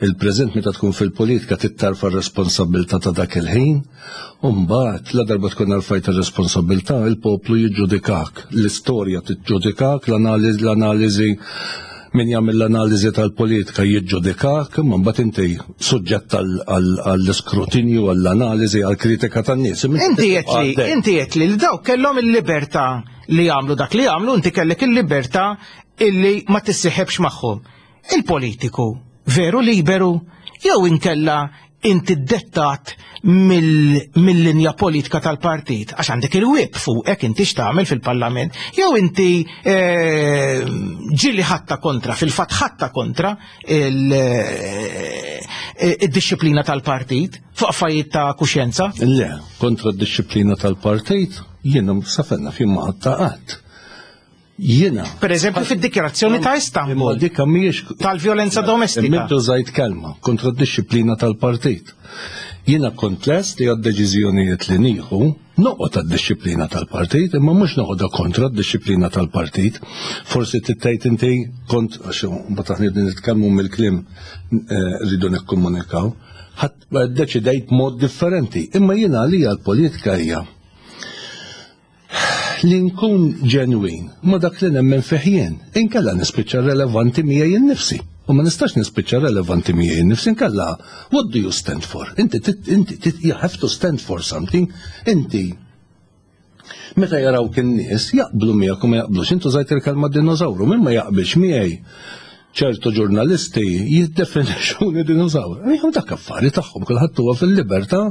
Il-preżent meta tkun fil-politika trid tarfa' r-responsabbiltà ta' dak il-ħin u mbagħad ladarba tkun arfajt ir-responsabbiltà il-poplu jiġġudikak, l-istorja tiġġudikak, l-analiżi min jagħmel l-analiżi tal-politika jiġġudikak, imma mbagħad inti suġġett għall-iskrutinju, għall-analiżi, għall-kritika tan-nies. Inti qed inti qed li dawk kellhom il-libertà li jagħmlu dak li jagħmlu, inti kellek il-libertà illi ma tissiħebx magħhom. Il-politiku veru liberu jew inkella inti dettat mill-linja politika tal-partit, għax għandek il-whip fuqek inti x'tagħmel fil-parlament, jew inti eh, ġili ħatta kontra, fil-fatt ħatta kontra eh, id-disciplina tal-partit fuq affarijiet ta' kuxjenza? Le, kontra d-disciplina tal-partit jiena safenna fi ma ħatta qatt. Jiena. Per eżempju fid-dikjarazzjoni ta' Istanbul. Dikka mhijiex tal-vjolenza domestika. Mintu żajt kelma kontra d-disciplina tal-partit. Jiena kont lest li għad-deċiżjonijiet li nieħu noqgħod għad-disciplina tal-partit, imma mhux noqgħodha kontra d-disciplina tal-partit. Forsi tittajt inti kont għax mbagħad aħna nitkellmu mill-kliem eh, rridu nikkomunikaw, ħadd deċidejt mod differenti. Imma jiena għalija l-politika hija li nkun ġenwin ma' dak li nemmen fih jien, inkella nispiċċa relevanti miegħi innifsi. U ma nistax nispiċċa relevanti miegħi innifsi inkella what do you stand for? Inti inti you have to stand for something. Inti meta jarawk in-nies jaqblu miegħek u ma jaqblux. Intu żajt il-kelma dinożawru, min ma jaqbilx miegħi ċertu ġurnalisti jiddefinixxuni dinożawru. Jom dak affari tagħhom, kulħadd huwa fil-libertà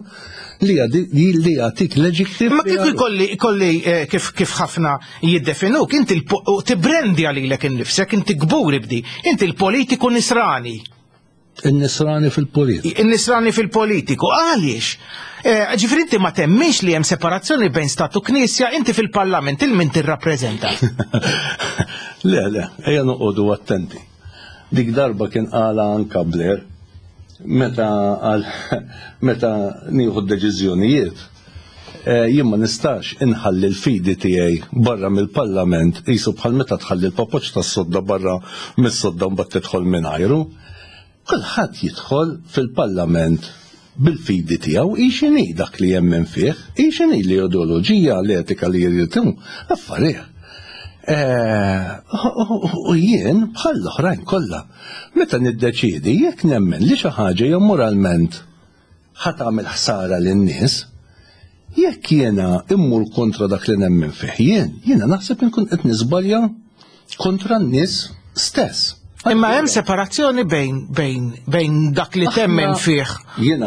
li li jagħtik l-eġittiv. Ma kif ikolli ikolli eh, kif kif ħafna jiddefinuk, inti tibrendi għalilek innifsek, inti kburi bdi, inti l-politiku nisrani. In-nisrani fil-politiku. In-nisrani fil-politiku. Għaliex? Eh, ġifri inti ma temmix li hemm separazzjoni bejn stat u knisja, inti fil-parlament il min tirrappreżenta. Le, le, ejja noqogħdu attenti. Dik darba kien qala anka Blair meta għal meta nieħu d-deċiżjonijiet eh, jien ma nistax inħalli l-fidi tiegħi barra mill-parlament qisu bħal meta tħalli l-papoċ tas-sodda barra mis-sodda mbagħad tidħol mingħajru. Kulħadd jidħol fil-parlament bil-fidi tiegħu hi x'inhi dak li jemmen fih, hi x'inhi l-ideoloġija, l-etika li jrid hu, affarih. Eh, u jien bħal l-oħrajn kollha, meta niddeċiedi jekk nemmen li xi ħaġa hija moralment ħa tagħmel ħsara lin-nies, jekk jiena immur kontra dak li nemmen fih jien, jiena naħseb inkun qed niżbalja kontra n-nies stess. Imma hemm separazzjoni bejn bejn bejn dak li temmen fih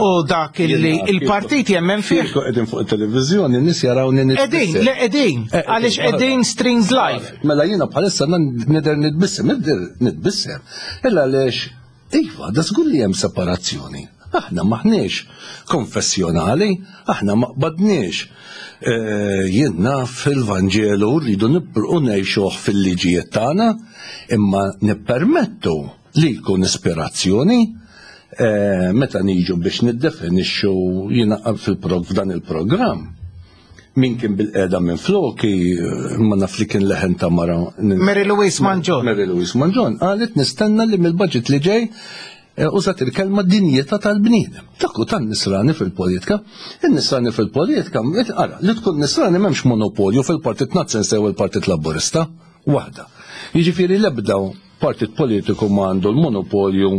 u dak li il-partit jemmen fih. Qegħdin fuq it-televiżjoni nies jarawni nitbissem. Qegħdin, le qegħdin, eh, għaliex qegħdin streams live. Mela jiena bħalissa nidher nitbissem, nidher nitbissem. Illa għaliex Iva, da żgur li hemm separazzjoni. Aħna m'aħniex konfessjonali, aħna ma qbadniex eh, jien naf fil-Vanġelu rridu nibqgħu ngħixuh fil-liġijiet tagħna, imma nippermettu li jkun ispirazzjoni eh, meta niġu biex niddefinixxu jiena fil-prog f'dan il-programm min kien bil-qeda minn floki, ma naf li kien leħen ta' mara. Mary Louise Mangion. Mary Louise Mangion, qalet nistenna li mill-budget li ġej eh, użat il-kelma dinjità tal-bniedem. Dak hu tan-nisrani fil-politika. Il-nisrani fil-politika, ara, li tkun nisrani m'hemmx monopolju fil-Partit Nazzjonalista jew il-Partit Laburista. Waħda. Jiġifieri l-ebda partit politiku ma għandu l-monopolju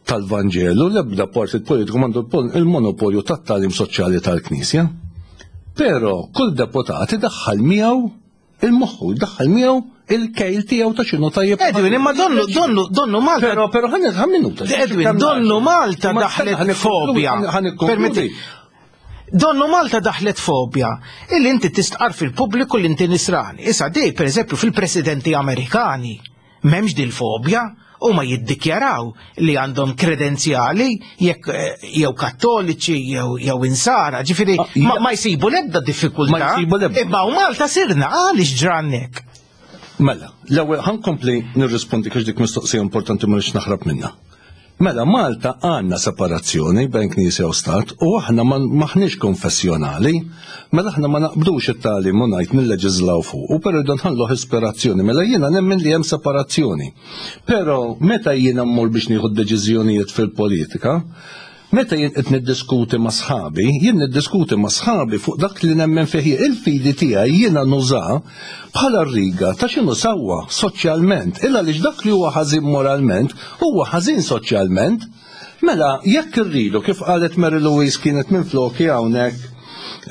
tal-Vanġelu, l-ebda partit politiku m'għandu il-monopolju tat-tagħlim soċjali tal-Knisja. Però kull deputat idaħħal miegħu il-moħħu, jdaħħal miegħu il-kejl tiegħu ta' x'inhu tajjeb. Edwin, imma donnu, donnu, donnu Malta. Però, però ħan minuta. Edwin, donnu Malta daħlet fobia. Permetti. Donnu Malta daħlet fobia illi inti tistqar fil-pubbliku li inti nisrani. Issa di, per eżempju, fil-presidenti Amerikani, m'hemmx dil-fobja, huma jiddikjaraw li għandhom kredenzjali jekk eh, jew kattoliċi jew jew insara, ġifieri Ah, ma, ma jsibu l-ebda diffikultà. Ma jsibu l-ebda. Imma u Malta sirna għaliex ġrannek. Mela, l-ewwel ħankompli nirrispondi għax dik mistoqsija importanti ma rridx naħrab minnha. Mela, Malta għandna separazzjoni bejn Knisja u Stat u aħna maħniex konfessjonali, mela aħna ma naqbdux it-tagħlim u ngħid nilleġiżlaw fuq, u però rridu nħalluh ispirazzjoni, mela jiena nemmen li hemm separazzjoni. Però meta jiena mmur biex nieħu deċiżjonijiet fil-politika, meta jien qed niddiskuti ma' sħabi, jien niddiskuti ma' sħabi fuq dak li nemmen fih jien. Il-fidi tiegħi jiena nuża bħala riga ta' x'inhu sewwa soċjalment. Illa għaliex dak li huwa ħażin moralment huwa ħażin soċjalment. Mela, jekk irridu, kif qalet Mary Louise kienet minn floki hawnhekk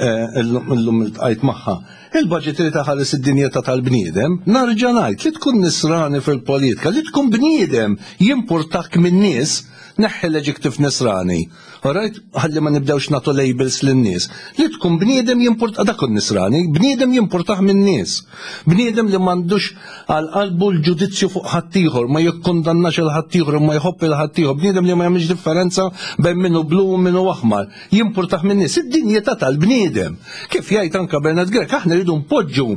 eh, illum iltqajt magħha, il-budget li taħares id-dinjità tal-bniedem, narġa' ngħid li tkun nisrani fil-politika, li tkun bniedem jimpurtak min-nies, neħħi l-adjective nisrani. Alright, ħalli ma nibdewx nagħtu labels lin-nies. Li tkun bniedem jimpurta dak nisrani, bniedem jimpurtah min-nies. Bniedem li m'għandux għal qalbu l-ġudizzju fuq ħaddieħor, ma jikkundannax il ħaddieħor, ma jħobb il ħaddieħor, bniedem li ma jagħmilx differenza bejn minnu blu u minnu aħmar. Jimpurtah min-nies, id-dinjità tal-bniedem. Kif jgħid anka Bernard Grech, aħna rridu npoġġu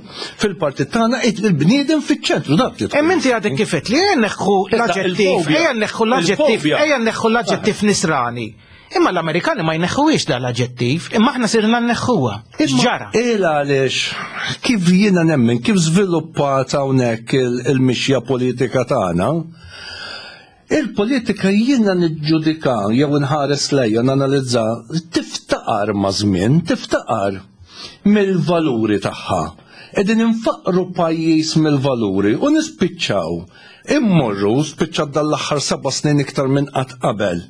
fil-partit tagħna il-bniedem fiċ-ċentru dak li. Hemm inti għadek kif li ejja neħħu l-aġġettiv, ejja neħħu l-aġġettiv, ejja neħħu l-aġġettiv nisrani. Imma l-Amerikani ma jneħħuhiex dan l-aġġettiv, imma aħna sirna nneħħuha. Ġara. Il għaliex kif jiena nemmen, kif żviluppat hawnhekk il-mixja politika tagħna, Il-politika jiena niġġudika jew inħares lejha nanalizza tiftaqar ma' żmien, tiftaqar mill-valuri tagħha. Qegħdin infaqru pajjiż mill-valuri u nispiċċaw immorru spiċċat dal-aħħar seba' snin iktar minn qatt qabel.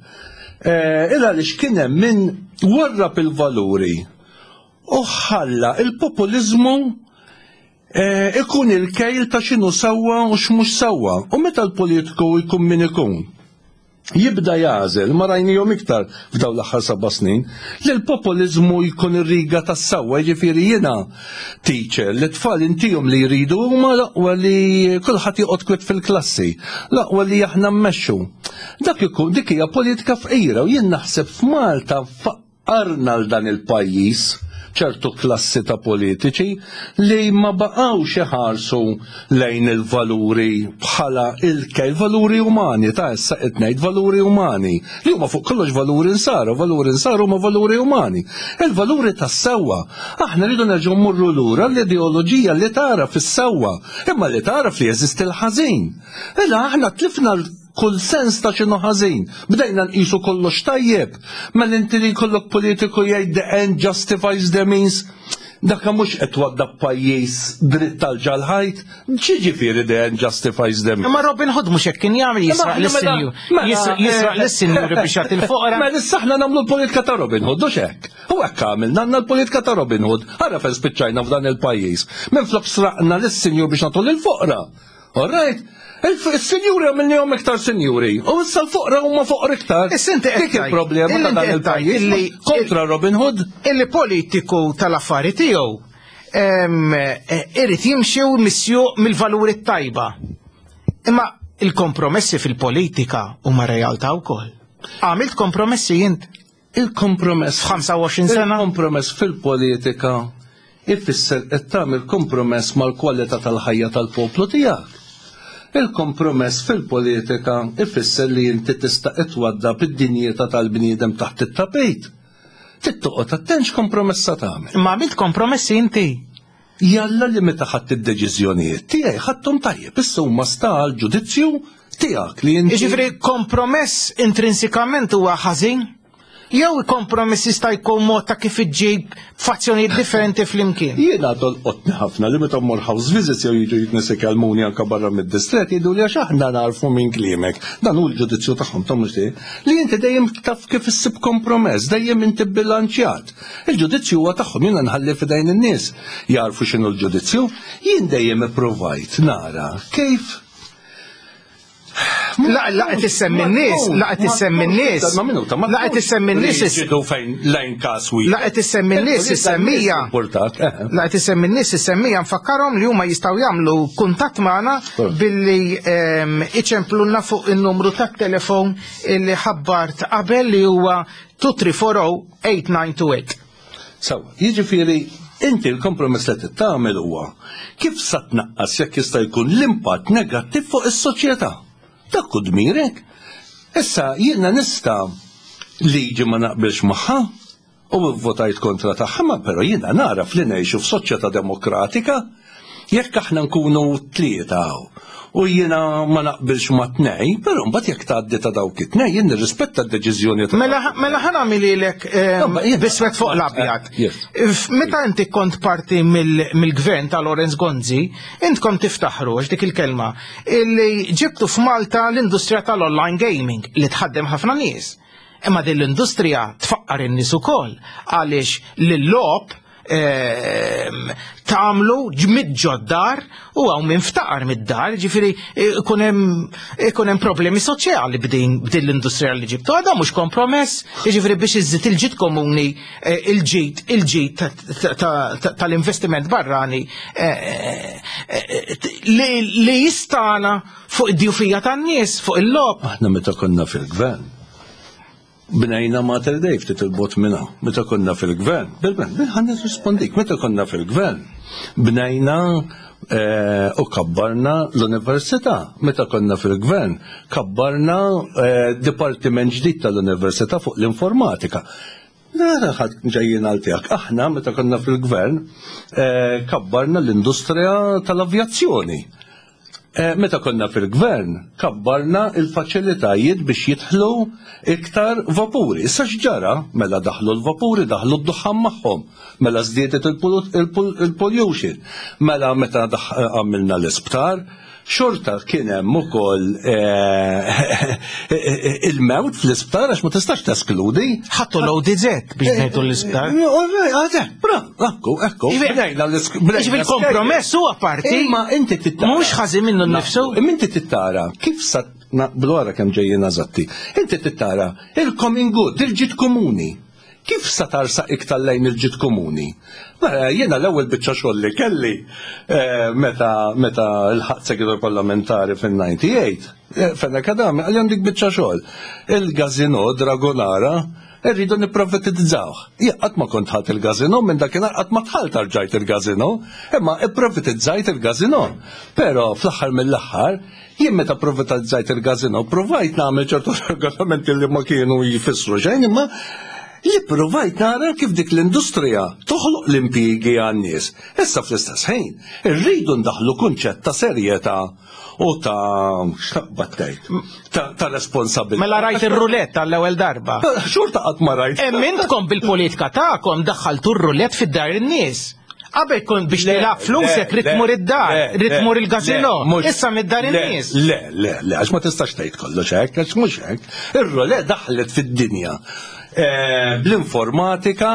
Eh, il għaliex kien hemm min warrab il-valuri u ħalla il-populiżmu Eh, ikun il-kejl ta' x'inhu sewwa u x'mhux sewwa. U meta l-politiku jkun min ikun, jibda jagħżel, ma rajnihom iktar f'dawn l-aħħar seba' snin, li l-populiżmu jkun ir-riga tas-sewwa, jiġifieri jiena teacher li tfal intihom li jridu huma l-aqwa li kulħadd joqgħod kwiet fil-klassi, l-aqwa li aħna mmexxu. Dak ikun dik hija politika fqira u jien naħseb f'Malta Arna 'l dan il-pajjiż ċertu klassi ta' politiċi li ma baqgħux iħarsu lejn il-valuri bħala il-kejl, valuri umani, ta' issa qed ngħid valuri umani, li huma fuq kollox valuri nsara, valuri nsara huma valuri umani. Il-valuri tas-sewwa. Aħna rridu nerġgħu mmorru lura l-ideoloġija li tara fis-sewwa, imma li tagħraf li jeżisti l-ħażin. Illa aħna tlifna kull sens ta' x'inhu ħażin. Bdejna nqisu kollox tajjeb. Mela inti li jkollok politiku jgħid the end justifies the means, dak mhux qed twaddab pajjiż dritt tal-ġalħajt, x'jiġifieri the end justifies the means? Imma Robin Hood mhux hekk kien jagħmel jisraq lis-sinjur. Mela, jisraq eh, lis-sinjuri biex jagħti l-foqra. Mela issa aħna nagħmlu l-politika ta' Robin Hood, hux hekk? U hekk għamilna għandna l-politika ta' Robin Hood. Ara fejn spiċċajna f'dan il-pajjiż. Minflok sraqna lis-sinjur biex nagħtu lill-foqra. All right? Il-sinjuri għamilnihom iktar sinjuri. U issa l-foqra huma foqra iktar. Issa inti Dik il-problema ta' dan il-pajjiż. Kontra Robin Hood. Illi politiku tal-affari tiegħu eh, irid jimxi u misjuq mill-valuri tajba. Imma il-kompromessi fil-politika huma realtà wkoll. Għamilt kompromessi int? Il-kompromess. F'25 sena? Il-kompromess fil-politika ifisser qed tagħmel kompromess mal-kwalità tal-ħajja tal-poplu tiegħek. Il-kompromess fil-politika ifisser li inti tista' itwaddab id-dinjità tal-bniedem taħt it-tapit. Trid toqgħod attent x'kompromess sa tagħmel. Imma għamilt kompromessi inti? Jalla li meta ħadt id-deċiżjonijiet tiegħi ħadthom tajjeb, issa huma sta għall-ġudizzju tiegħek li inti. Jiġifieri kompromess intrinsikament huwa ħażin? Jew kompromess jista' jkun mod ta' kif iġġib fazzjonijiet differenti flimkien? Jiena tolqotni ħafna li meta mmur house visits jew jiġu nies ikellmuni anke barra mid-distrett jgħiduli għax aħna narfu minn kliemek. Dan hu l-ġudizzju tagħhom ta' mhux tiegħi. Li inti dejjem taf kif issib kompromess, dejjem inti bbilanċjat. Il-ġudizzju huwa tagħhom, jiena nħalli f'idejn in-nies jagħrfu x'inhu l-ġudizzju. Jien dejjem ippruvajt nara kif La la qed issemmi n-nies, la qed issemmi n-nies. Ma minuta, ma La qed issemmi n-nies. Riġidu fejn lejn każ wieħed. La qed issemmi n-nies is-semmija. Eh. La qed issemmi n-nies is-semmija nfakkarhom li huma jistgħu jagħmlu kuntatt magħna billi ehm, iċemplulna fuq in-numru tat-telefon li ħabbart qabel li huwa 2340 8928. Sawa, jiġifieri inti l-kompromess li trid tagħmel huwa kif sa tnaqqas jekk jista' jkun l-impatt negattiv fuq is-soċjetà. Dak hu dmirek. Issa jiena nista' liġi ma naqbilx magħha u votajt kontra tagħha, ma però jiena naraf li ngħixu f'soċjetà demokratika Jekk aħna nkunu tlieta u jiena ma naqbilx ma' tnej, però mbagħad jekk tgħaddi ta' dawk it-tnej jien nirrispetta d-deċiżjoni ta' Mela mela ħa nagħmililek ehm, biswed fuq l-abjad. Eh, meta inti kont parti mill-gvern ta' Lawrence Gonzi, intkom tiftaħru għax dik il-kelma illi ġibtu f'Malta l-industrija tal-online gaming li tħaddem ħafna nies. Imma din l-industrija tfaqqar in-nies ukoll għaliex l-logħob Ehm, tagħmlu ġmid ġoddar u hawn minn ftaqar mid-dar, ġifieri ikun hemm problemi soċjali b'din b'din l-industrija li ġibtu. Għadha mhux kompromess, jiġifieri biex iżżid il-ġid komuni, eh, il-ġid, il-ġid tal-investiment barrani eh, eh, li jistana fuq id-djufija tan-nies, fuq il-lob. Aħna meta konna fil-gvern, Bnejna Mater Dei ftit 'il bogħod minn hawn. Meta konna fil-gvern, bil-gvern, ħa nirrispondik, meta konna fil-gvern, bnejna eh, u kabbarna l-università. Meta konna fil-gvern, kabbarna eh, dipartiment ġdid tal-università fuq l-informatika. Nara ħadd ġejjin għal tiegħek. Aħna meta konna fil-gvern eh, kabbarna l-industrija tal-avjazzjoni. Eh, meta konna fil-gvern, kabbarna il-faċilitajiet biex jidħlu iktar vapuri. Issa x'ġara? Mela daħlu l-vapuri, daħlu d-duħħan magħhom. Mela żdiedet il-pollution. Mela meta għamilna l-isptar, xorta kien hemm ukoll eh, il-mewt fl-isptar għax ma tistax teskludi. Ħattu l-ODZ biex ngħidu l-isptar. Bravo, ekku, ekku. Ġifieri kompromess huwa parti. Imma inti tittara. Mhux ħażin minnu nnifsu. Imma inti tittara kif sa naqblu ara kemm ġejjin eżatti. Inti tittara il-common good, il-ġid komuni. Kif sa tarsaq iktar lejn il-ġid komuni? Mela jiena l-ewwel biċċa xogħol li kelli eh, meta meta l-ħadd segretarju parlamentari fin-98, eh, Fenech Adami qalli għandik biċċa xogħol. Il-gazino Dragonara Irridu nipprivatizzawh. Jien qatt ma kont dħalt il-gażinò, minn dakinhar qatt ma dħalt rġajt il-gażinò, imma ipprivatizzajt il-gażinò. Però fl-aħħar mill-aħħar, jien meta privatizzajt il-gażinò ppruvajt nagħmel ċertu regolamenti li ma kienu jfissru xejn, imma li ppruvajt nara kif dik l-industrija toħloq l-impjiegi għan-nies. Issa fl-istess ħin, irridu ndaħħlu kunċett ta' serjetà u ta' x'taqbad tgħid ta' responsabilità. Mela rajt ir-rulett għall-ewwel darba. Xorta qatt ma rajt. Hemm intkom bil-politika tagħkom daħħaltu r-rulett fid-dar in-nies. Qabel kont biex tilgħab flusek rid tmur id-dar, rid tmur il-gazino, issa mid-dar in-nies. Le, le, le, għax ma tistax tgħid kollox hekk, għax mhux hekk. Ir-rulett daħlet fid-dinja. Eh, bl-informatika,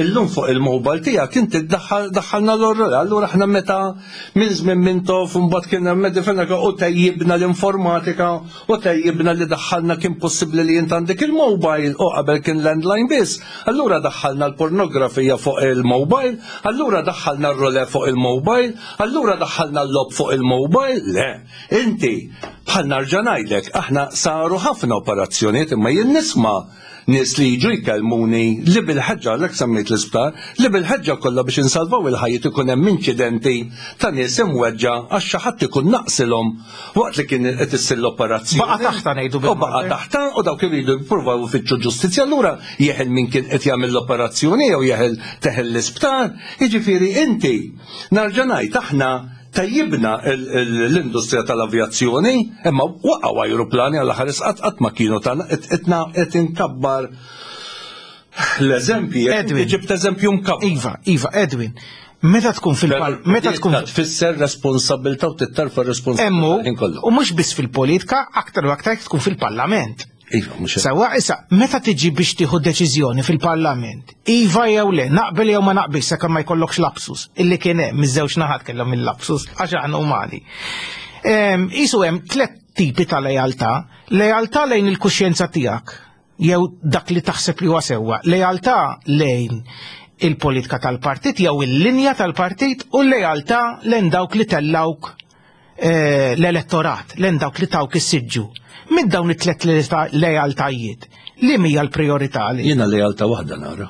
illum fuq il-mobile tiegħek inti daħħalna l-orror. Allura aħna meta minn żmien Mintoff mbagħad kien hemm Medifenaka u tejjibna l-informatika u tejjibna li daħħalna kien possibbli li int għandek il-mobile u qabel kien landline biss. Allura daħħalna l-pornografija fuq il-mobile, allura daħħalna r-role fuq il-mobile, allura daħħalna l-lob fuq il-mobile. Le, inti. Bħal narġa' ngħidlek, aħna saru ħafna operazzjonijiet imma jien nisma' nies li jiġu jkellmuni li bil-ħeġġa, għalhekk semmejt l-isptar, li bil-ħeġġa kollha biex insalvaw il-ħajjiet ikun hemm inċidenti ta' nies imweġġa' għax xi ħadd ikun naqsilhom waqt li kien qed issir l-operazzjoni. Baqa' taħtha ngħidu bil U baqa' taħtha u dawk iridu jippruvaw ifittxu ġustizzja allura jeħel min kien qed jagħmel l-operazzjoni jew jeħel teħel l-isptar. Jiġifieri inti narġa' ngħid aħna Tejjibna l-industrija tal-avjazzjoni, imma waqgħu ajruplani għal ħares qatt qatt ma kienu tagħna qed inkabbar l-eżempji. Edwin. Ġibt eżempju mkabbar. Iva, iva, Edwin. Meta tkun fil-pal, meta tkun tfisser responsabilità u tittarfa responsabilità. U mhux biss fil-politika, aktar u aktar tkun fil-parlament. Iva, mhux Sewwa issa, meta tiġi biex tieħu deċiżjoni fil-Parlament, iva jew le, naqbel jew ma naqbilx sakemm ma jkollokx lapsus, illi kien hemm miż-żewġ naħat kellhom il-lapsus għax aħna umani. Ehm, isu hemm tliet tipi ta' lealtà, lealtà lejn il-kuxjenza tiegħek jew dak li taħseb li huwa sewwa, lealtà lejn il-politika tal-partit jew il-linja tal-partit u lealtà lejn dawk li tellawk Eh, l-elettorat, l dawk li tawk is-siġġu. Minn dawn it-tlet lealtajiet, li mija l-priorità li? Jiena lealtà waħda nara.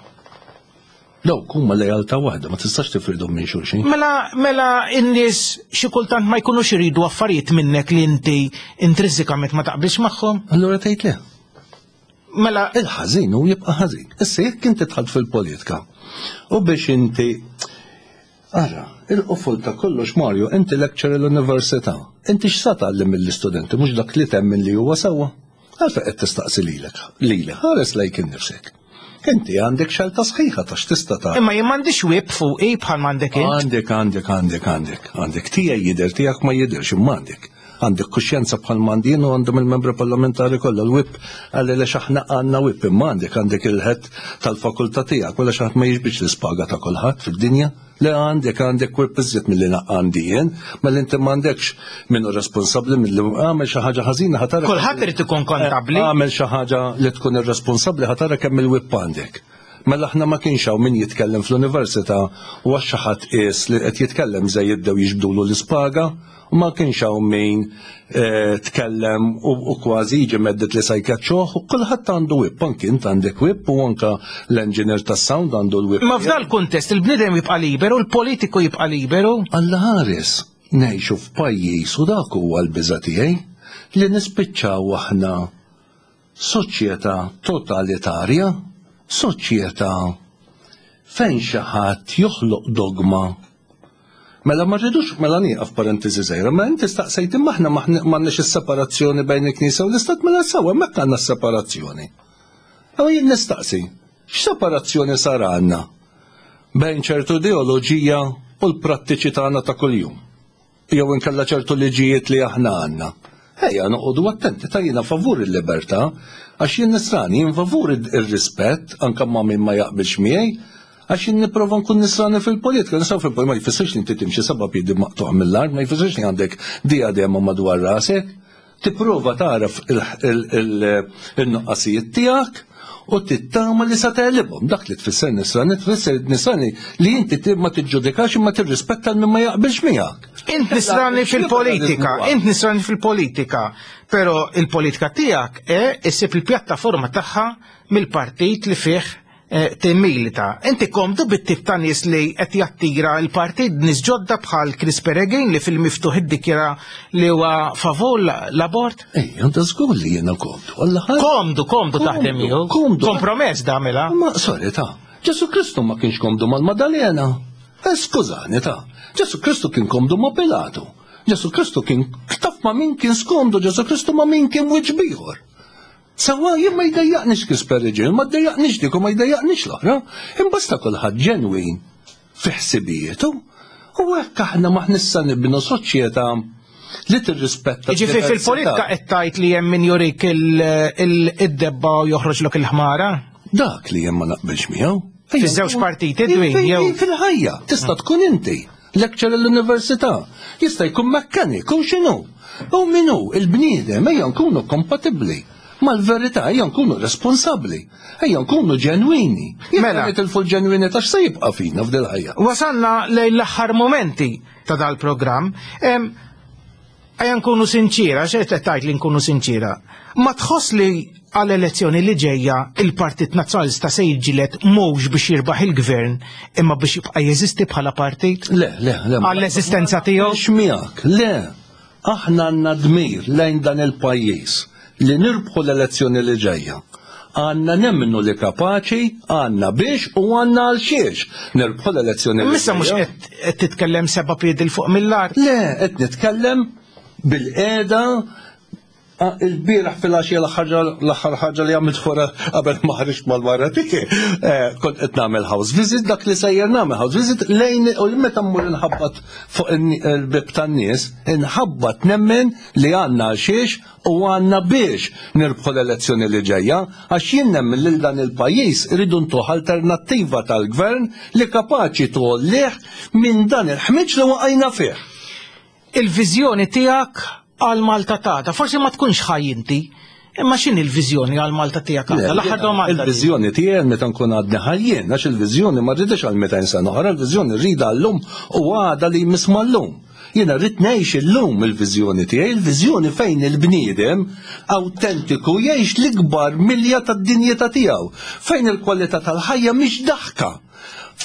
Dawk huma lealtà waħda, ma tistax tifridhom minn xulxin. Mela, mela in-nies xi kultant ma jkunux iridu affarijiet minnek li inti intrinsikament ma taqbilx magħhom. Allura tgħid le. Mela il-ħażin hu jibqa' ħażin. Issa jekk inti dħalt fil-politika u biex inti Ara, il-qofol ta' kollox Mario, inti lecturer l-università. Inti x'sa tgħallem mill-istudenti mhux dak li temmen li huwa sewwa? Għalfejn qed tistaqsi lilek, lili, ħares lejk innifsek. Inti għandek xelta sħiħa ta' x'tista' tagħmel. Imma jien m'għandix whip fuqi bħal m'għandek int. Għandek, għandek, għandek, għandek. Għandek tiegħi jidher tiegħek ma jidhirx imma għandek. Għandek kuxjenza bħal m'għandi jien u għandhom il-membri parlamentari kollha l-whip għalli lex aħna għandna whip imma għandek għandek il-head tal-fakultà tiegħek wara xi ħadd ma jiġbidx l-ispaga ta' kulħadd fid-dinja. Le għandek għandek whip iżjed milli għandi jien, mela inti m'għandekx min hu responsabbli milli għamel xi ħaġa ħażina ħa tara. Kulħadd irid ikun kontabbli. Għamel xi ħaġa li tkun irresponsabbli ħa tara kemm il-whip għandek. Mela aħna ma kienx hawn min jitkellem fl-università u għax xi ħadd qies li qed jitkellem żejjed bdew jiġbdulu l-ispaga u ma kienx hawn min eh, tkellem u kważi jiġi medded li se jkeċċuh u kulħadd għandu whip, anki int għandek whip u anka l-engineer tas-sound għandu l-whip. Ma f'dal kuntest il-bniedem jibqa' liberu, il-politiku jibqa' liberu. Alla ħares, ngħixu f'pajjiż u dak huwa l-biża' tiegħi li nispiċċaw aħna Soċjetà totalitarja, soċjetà fejn xi ħadd joħloq dogma. Mela ma rridux, mela nieqaf parentesi żgħira, mela inti staqsejt imma aħna m'għandniex is-separazzjoni bejn il-Knisja u l-Istat, mela sew hemmhekk għandna s-separazzjoni. Imma jien nistaqsi, x'separazzjoni sar għandna bejn ċertu ideoloġija u l-prattiċi tagħna ta' kuljum? jew inkella ċertu liġijiet li aħna għandna. Ejja noqogħdu attenti ta' jiena favur il-libertà, għax jien nisrani, jien favur ir-rispett anke ma' min ma jaqbilx miegħi, għax jien nipprova nkun nisrani fil-politika, nisrani fil-politika ma jfissirx li inti timxi seba' piedi maqtuq mill-art, ma jfissirx li għandek diadema madwar rasek. Tipprova tagħraf il-nuqqasijiet tiegħek u tittama li sa tegħlibhom. Dak li tfisser nisrani, tfisser nisrani li inti ma tiġġudikax imma tirrispetta l min ma jaqbilx miegħek. Int nisrani fil-politika, int nisrani fil-politika, però il-politika tiegħek eh, issib il-pjattaforma tagħha mill-partit li fih Eh, timmilita. Inti komdu bit-tip ta' nies li qed jattira l-partit nies ġodda bħal Chris Peregrin li fil-miftuħ iddikjara li huwa favur l-abort? Ej, għandha żgur li jiena komdu. Komdu, komdu taħdem miegħu. Komdu. Kompromess damela. Ma sorry ta' Ġesu Kristu ma kienx komdu mal-Madalena. Eh, skużani ta' Ġesu Kristu kien komdu ma' Pilatu. Ġesu Kristu kien taf ma' min kien skomdu, Ġesu Kristu ma' min kien wiċ bieħor. Sewwa jien ma jdejjaqnix Chris Peregrine, ma ddejjaqnix dik u ma jdejjaqnix l-oħra, imbasta kulħadd ġenwin fi ħsibijietu. U hekk aħna maħnissa nibnu soċjetà li tirrispetta. Ġifieri fil-politika qed tgħid li hemm min jurik id-debba u joħroġlok il-ħmara? Dak li jien ma naqbilx miegħu. Fiż-żewġ partiti dwin jew fil-ħajja tista' tkun inti lecturer l-università, jista' jkun mechanic u x'inhu. U min hu il-bniedem ejja nkunu kompatibbli mal-verità, ejja nkunu responsabbli, ejja nkunu ġenwini. Mela nitilfu l-ġenwini ta' x'se jibqa' fina f'dil ħajja. Wasalna lejn l-aħħar momenti ta' dal-programm. Ejja nkunu sinċiera, xejn qed tgħid li nkunu sinċiera. Ma tħoss li għall-elezzjoni li ġejja il-Partit Nazzjonalista se jiġġieled mhux biex jirbaħ il-gvern imma biex jibqa' jeżisti bħala partit? Le, le, le. Għall-eżistenza tiegħu? X'miegħek, le. Aħna għandna dmir lejn dan il-pajjiż li nirbħu l-elezzjoni li ġejja. Għandna nemmnu li kapaċi, għandna biex u għandna għal xiex nirbħu l-elezzjoni li Issa mhux qed titkellem seba' piedi 'l fuq mill-art. Le, qed nitkellem bil-qiegħda il-bieraħ fil-għaxija l-aħħar ħaġa li għamilt wara qabel ma ħriġt mal-mara tiegħi, eh, kont qed nagħmel house visit dak li sejjer nagħmel house visit lejn u meta mmur inħabbat fuq il-bib tan-nies, inħabbat nemmen li għandna għal xiex u għandna biex nirbħu l-elezzjoni li ġejja, għax jien nemmen lil dan il-pajjiż iridu ntuh alternattiva tal-gvern li kapaċi tgħollih minn dan il-ħmiġ li waqajna fih. Il-viżjoni tiegħek għal Malta t'għada, forsi ma tkunx ħaj inti, imma x'inhi l-viżjoni għal Malta tiegħek għada? L-aħħar domanda. Il-viżjoni tiegħi għal meta nkun għadni ħaj jien, għax il-viżjoni ma rridhiex għal 200 sena oħra, il-viżjoni rridha għal-lum u għada li jmiss mal-lum. Jiena rrid ngħix illum il-viżjoni tiegħi, il-viżjoni fejn il-bniedem awtentiku jgħix l-ikbar milja tad-dinjità tiegħu, fejn il-kwalità tal-ħajja mhix daħka,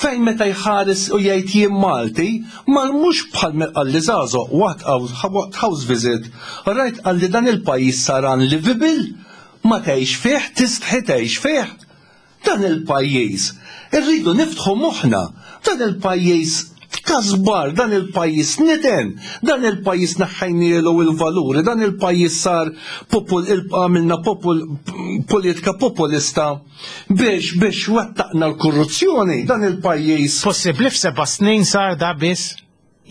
fejn meta jħares u jgħid jien Malti, ma mhux bħal me qalli żagħżugħ waqt house visit, rajt qalli dan il-pajjiż sar unlivable, ma tgħix fih, tistħi tgħix fih. Dan il-pajjiż, irridu niftħu moħħna, dan il-pajjiż tkasbar, dan il-pajjiż niten, dan il-pajjiż neħħejnielu il-valuri, dan il-pajjiż sar popol, għamilna popol, politika populista biex biex wettaqna l-korruzzjoni, dan il-pajjiż. Possibbli f'seba' snin sar da biss?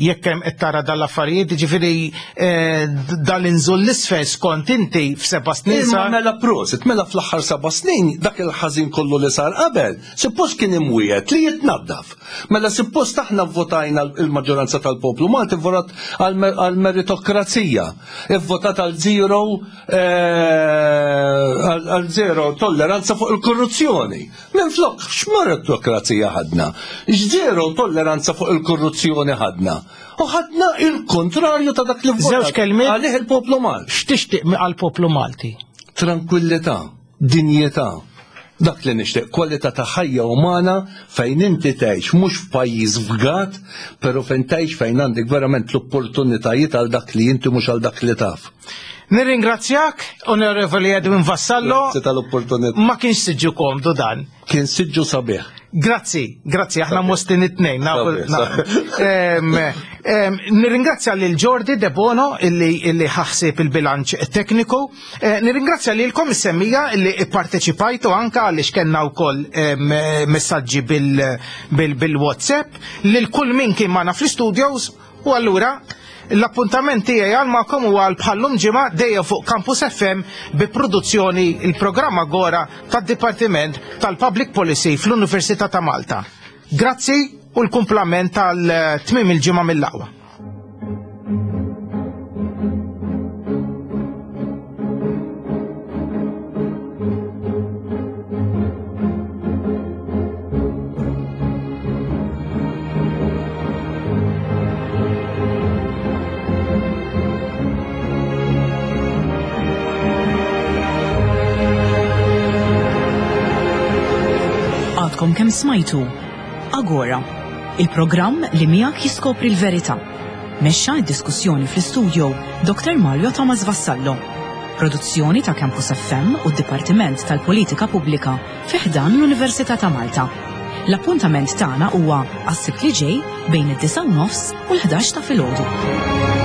Jekk hemm qed tara dal-affarijiet, jiġifieri eh, dal-inżul l-isfel skont inti f'seba' snin sar. Mela prosit, mela fl-aħħar seba' snin dak il-ħażin kollu li sar qabel, suppost kien imwiegħed li jitnaddaf. Mela suppost aħna vvotajna il-maġġoranza tal-poplu Malti votat għal-meritokrazija, ivvotat għal zero eh, għal zero tolleranza fuq il-korruzzjoni. Minflok, x'meritokrazija ħadna? X'żero tolleranza fuq il-korruzzjoni ħadna? U ħadna il-kontrarju ta' dak li Żewġ kelmiet. Għalih il-poplu Malti. X'tixtieq għall-poplu Malti? Tranquillità, dinjità. Dak li nixtieq, kwalità ta' ħajja umana fejn inti tgħix mhux f'pajjiż fgat, però fejn tgħix fejn għandek verament l-opportunitajiet għal dak li inti mhux għal dak li taf. Nirringrazzjak, Onorevoli Edwin Vassallo. Grazzi tal-opportunità. Ma kienx siġġu komdu dan. Kien siġġu sabiħ. Grazzi, grazzi, aħna mostin it-tnejn. Nirringrazzja lil Jordi De Bono illi ħaħsib il-bilanċ tekniku. Eh, nirringrazzja lilkom is-semmija illi ipparteċipajtu anka għaliex kellna wkoll messaġġi bil-WhatsApp lil kull min kien magħna fl-studios U allura, l-appuntament tiegħi għal magħkom huwa għal bħallum ġimgħa dejjem fuq Campus FM bi produzzjoni il-programm Agora tad-Dipartiment tal-Public Policy fl-Università ta' Malta. Grazzi u l-kumplament tal-tmiem il-ġimgħa mill-aqwa. Għadkom kemm smajtu Agora, il-programm li miegħek jiskopri l-verità. Mexxa d-diskussjoni fl-istudio Dr. Mario Thomas Vassallo. Produzzjoni ta' Campus FM u d-Dipartiment tal-Politika Pubblika fi ħdan l-Università ta' Malta. L-appuntament tagħna huwa għas-Sibt li ġej bejn id-9 u nofs u l-11 ta' filgħodu.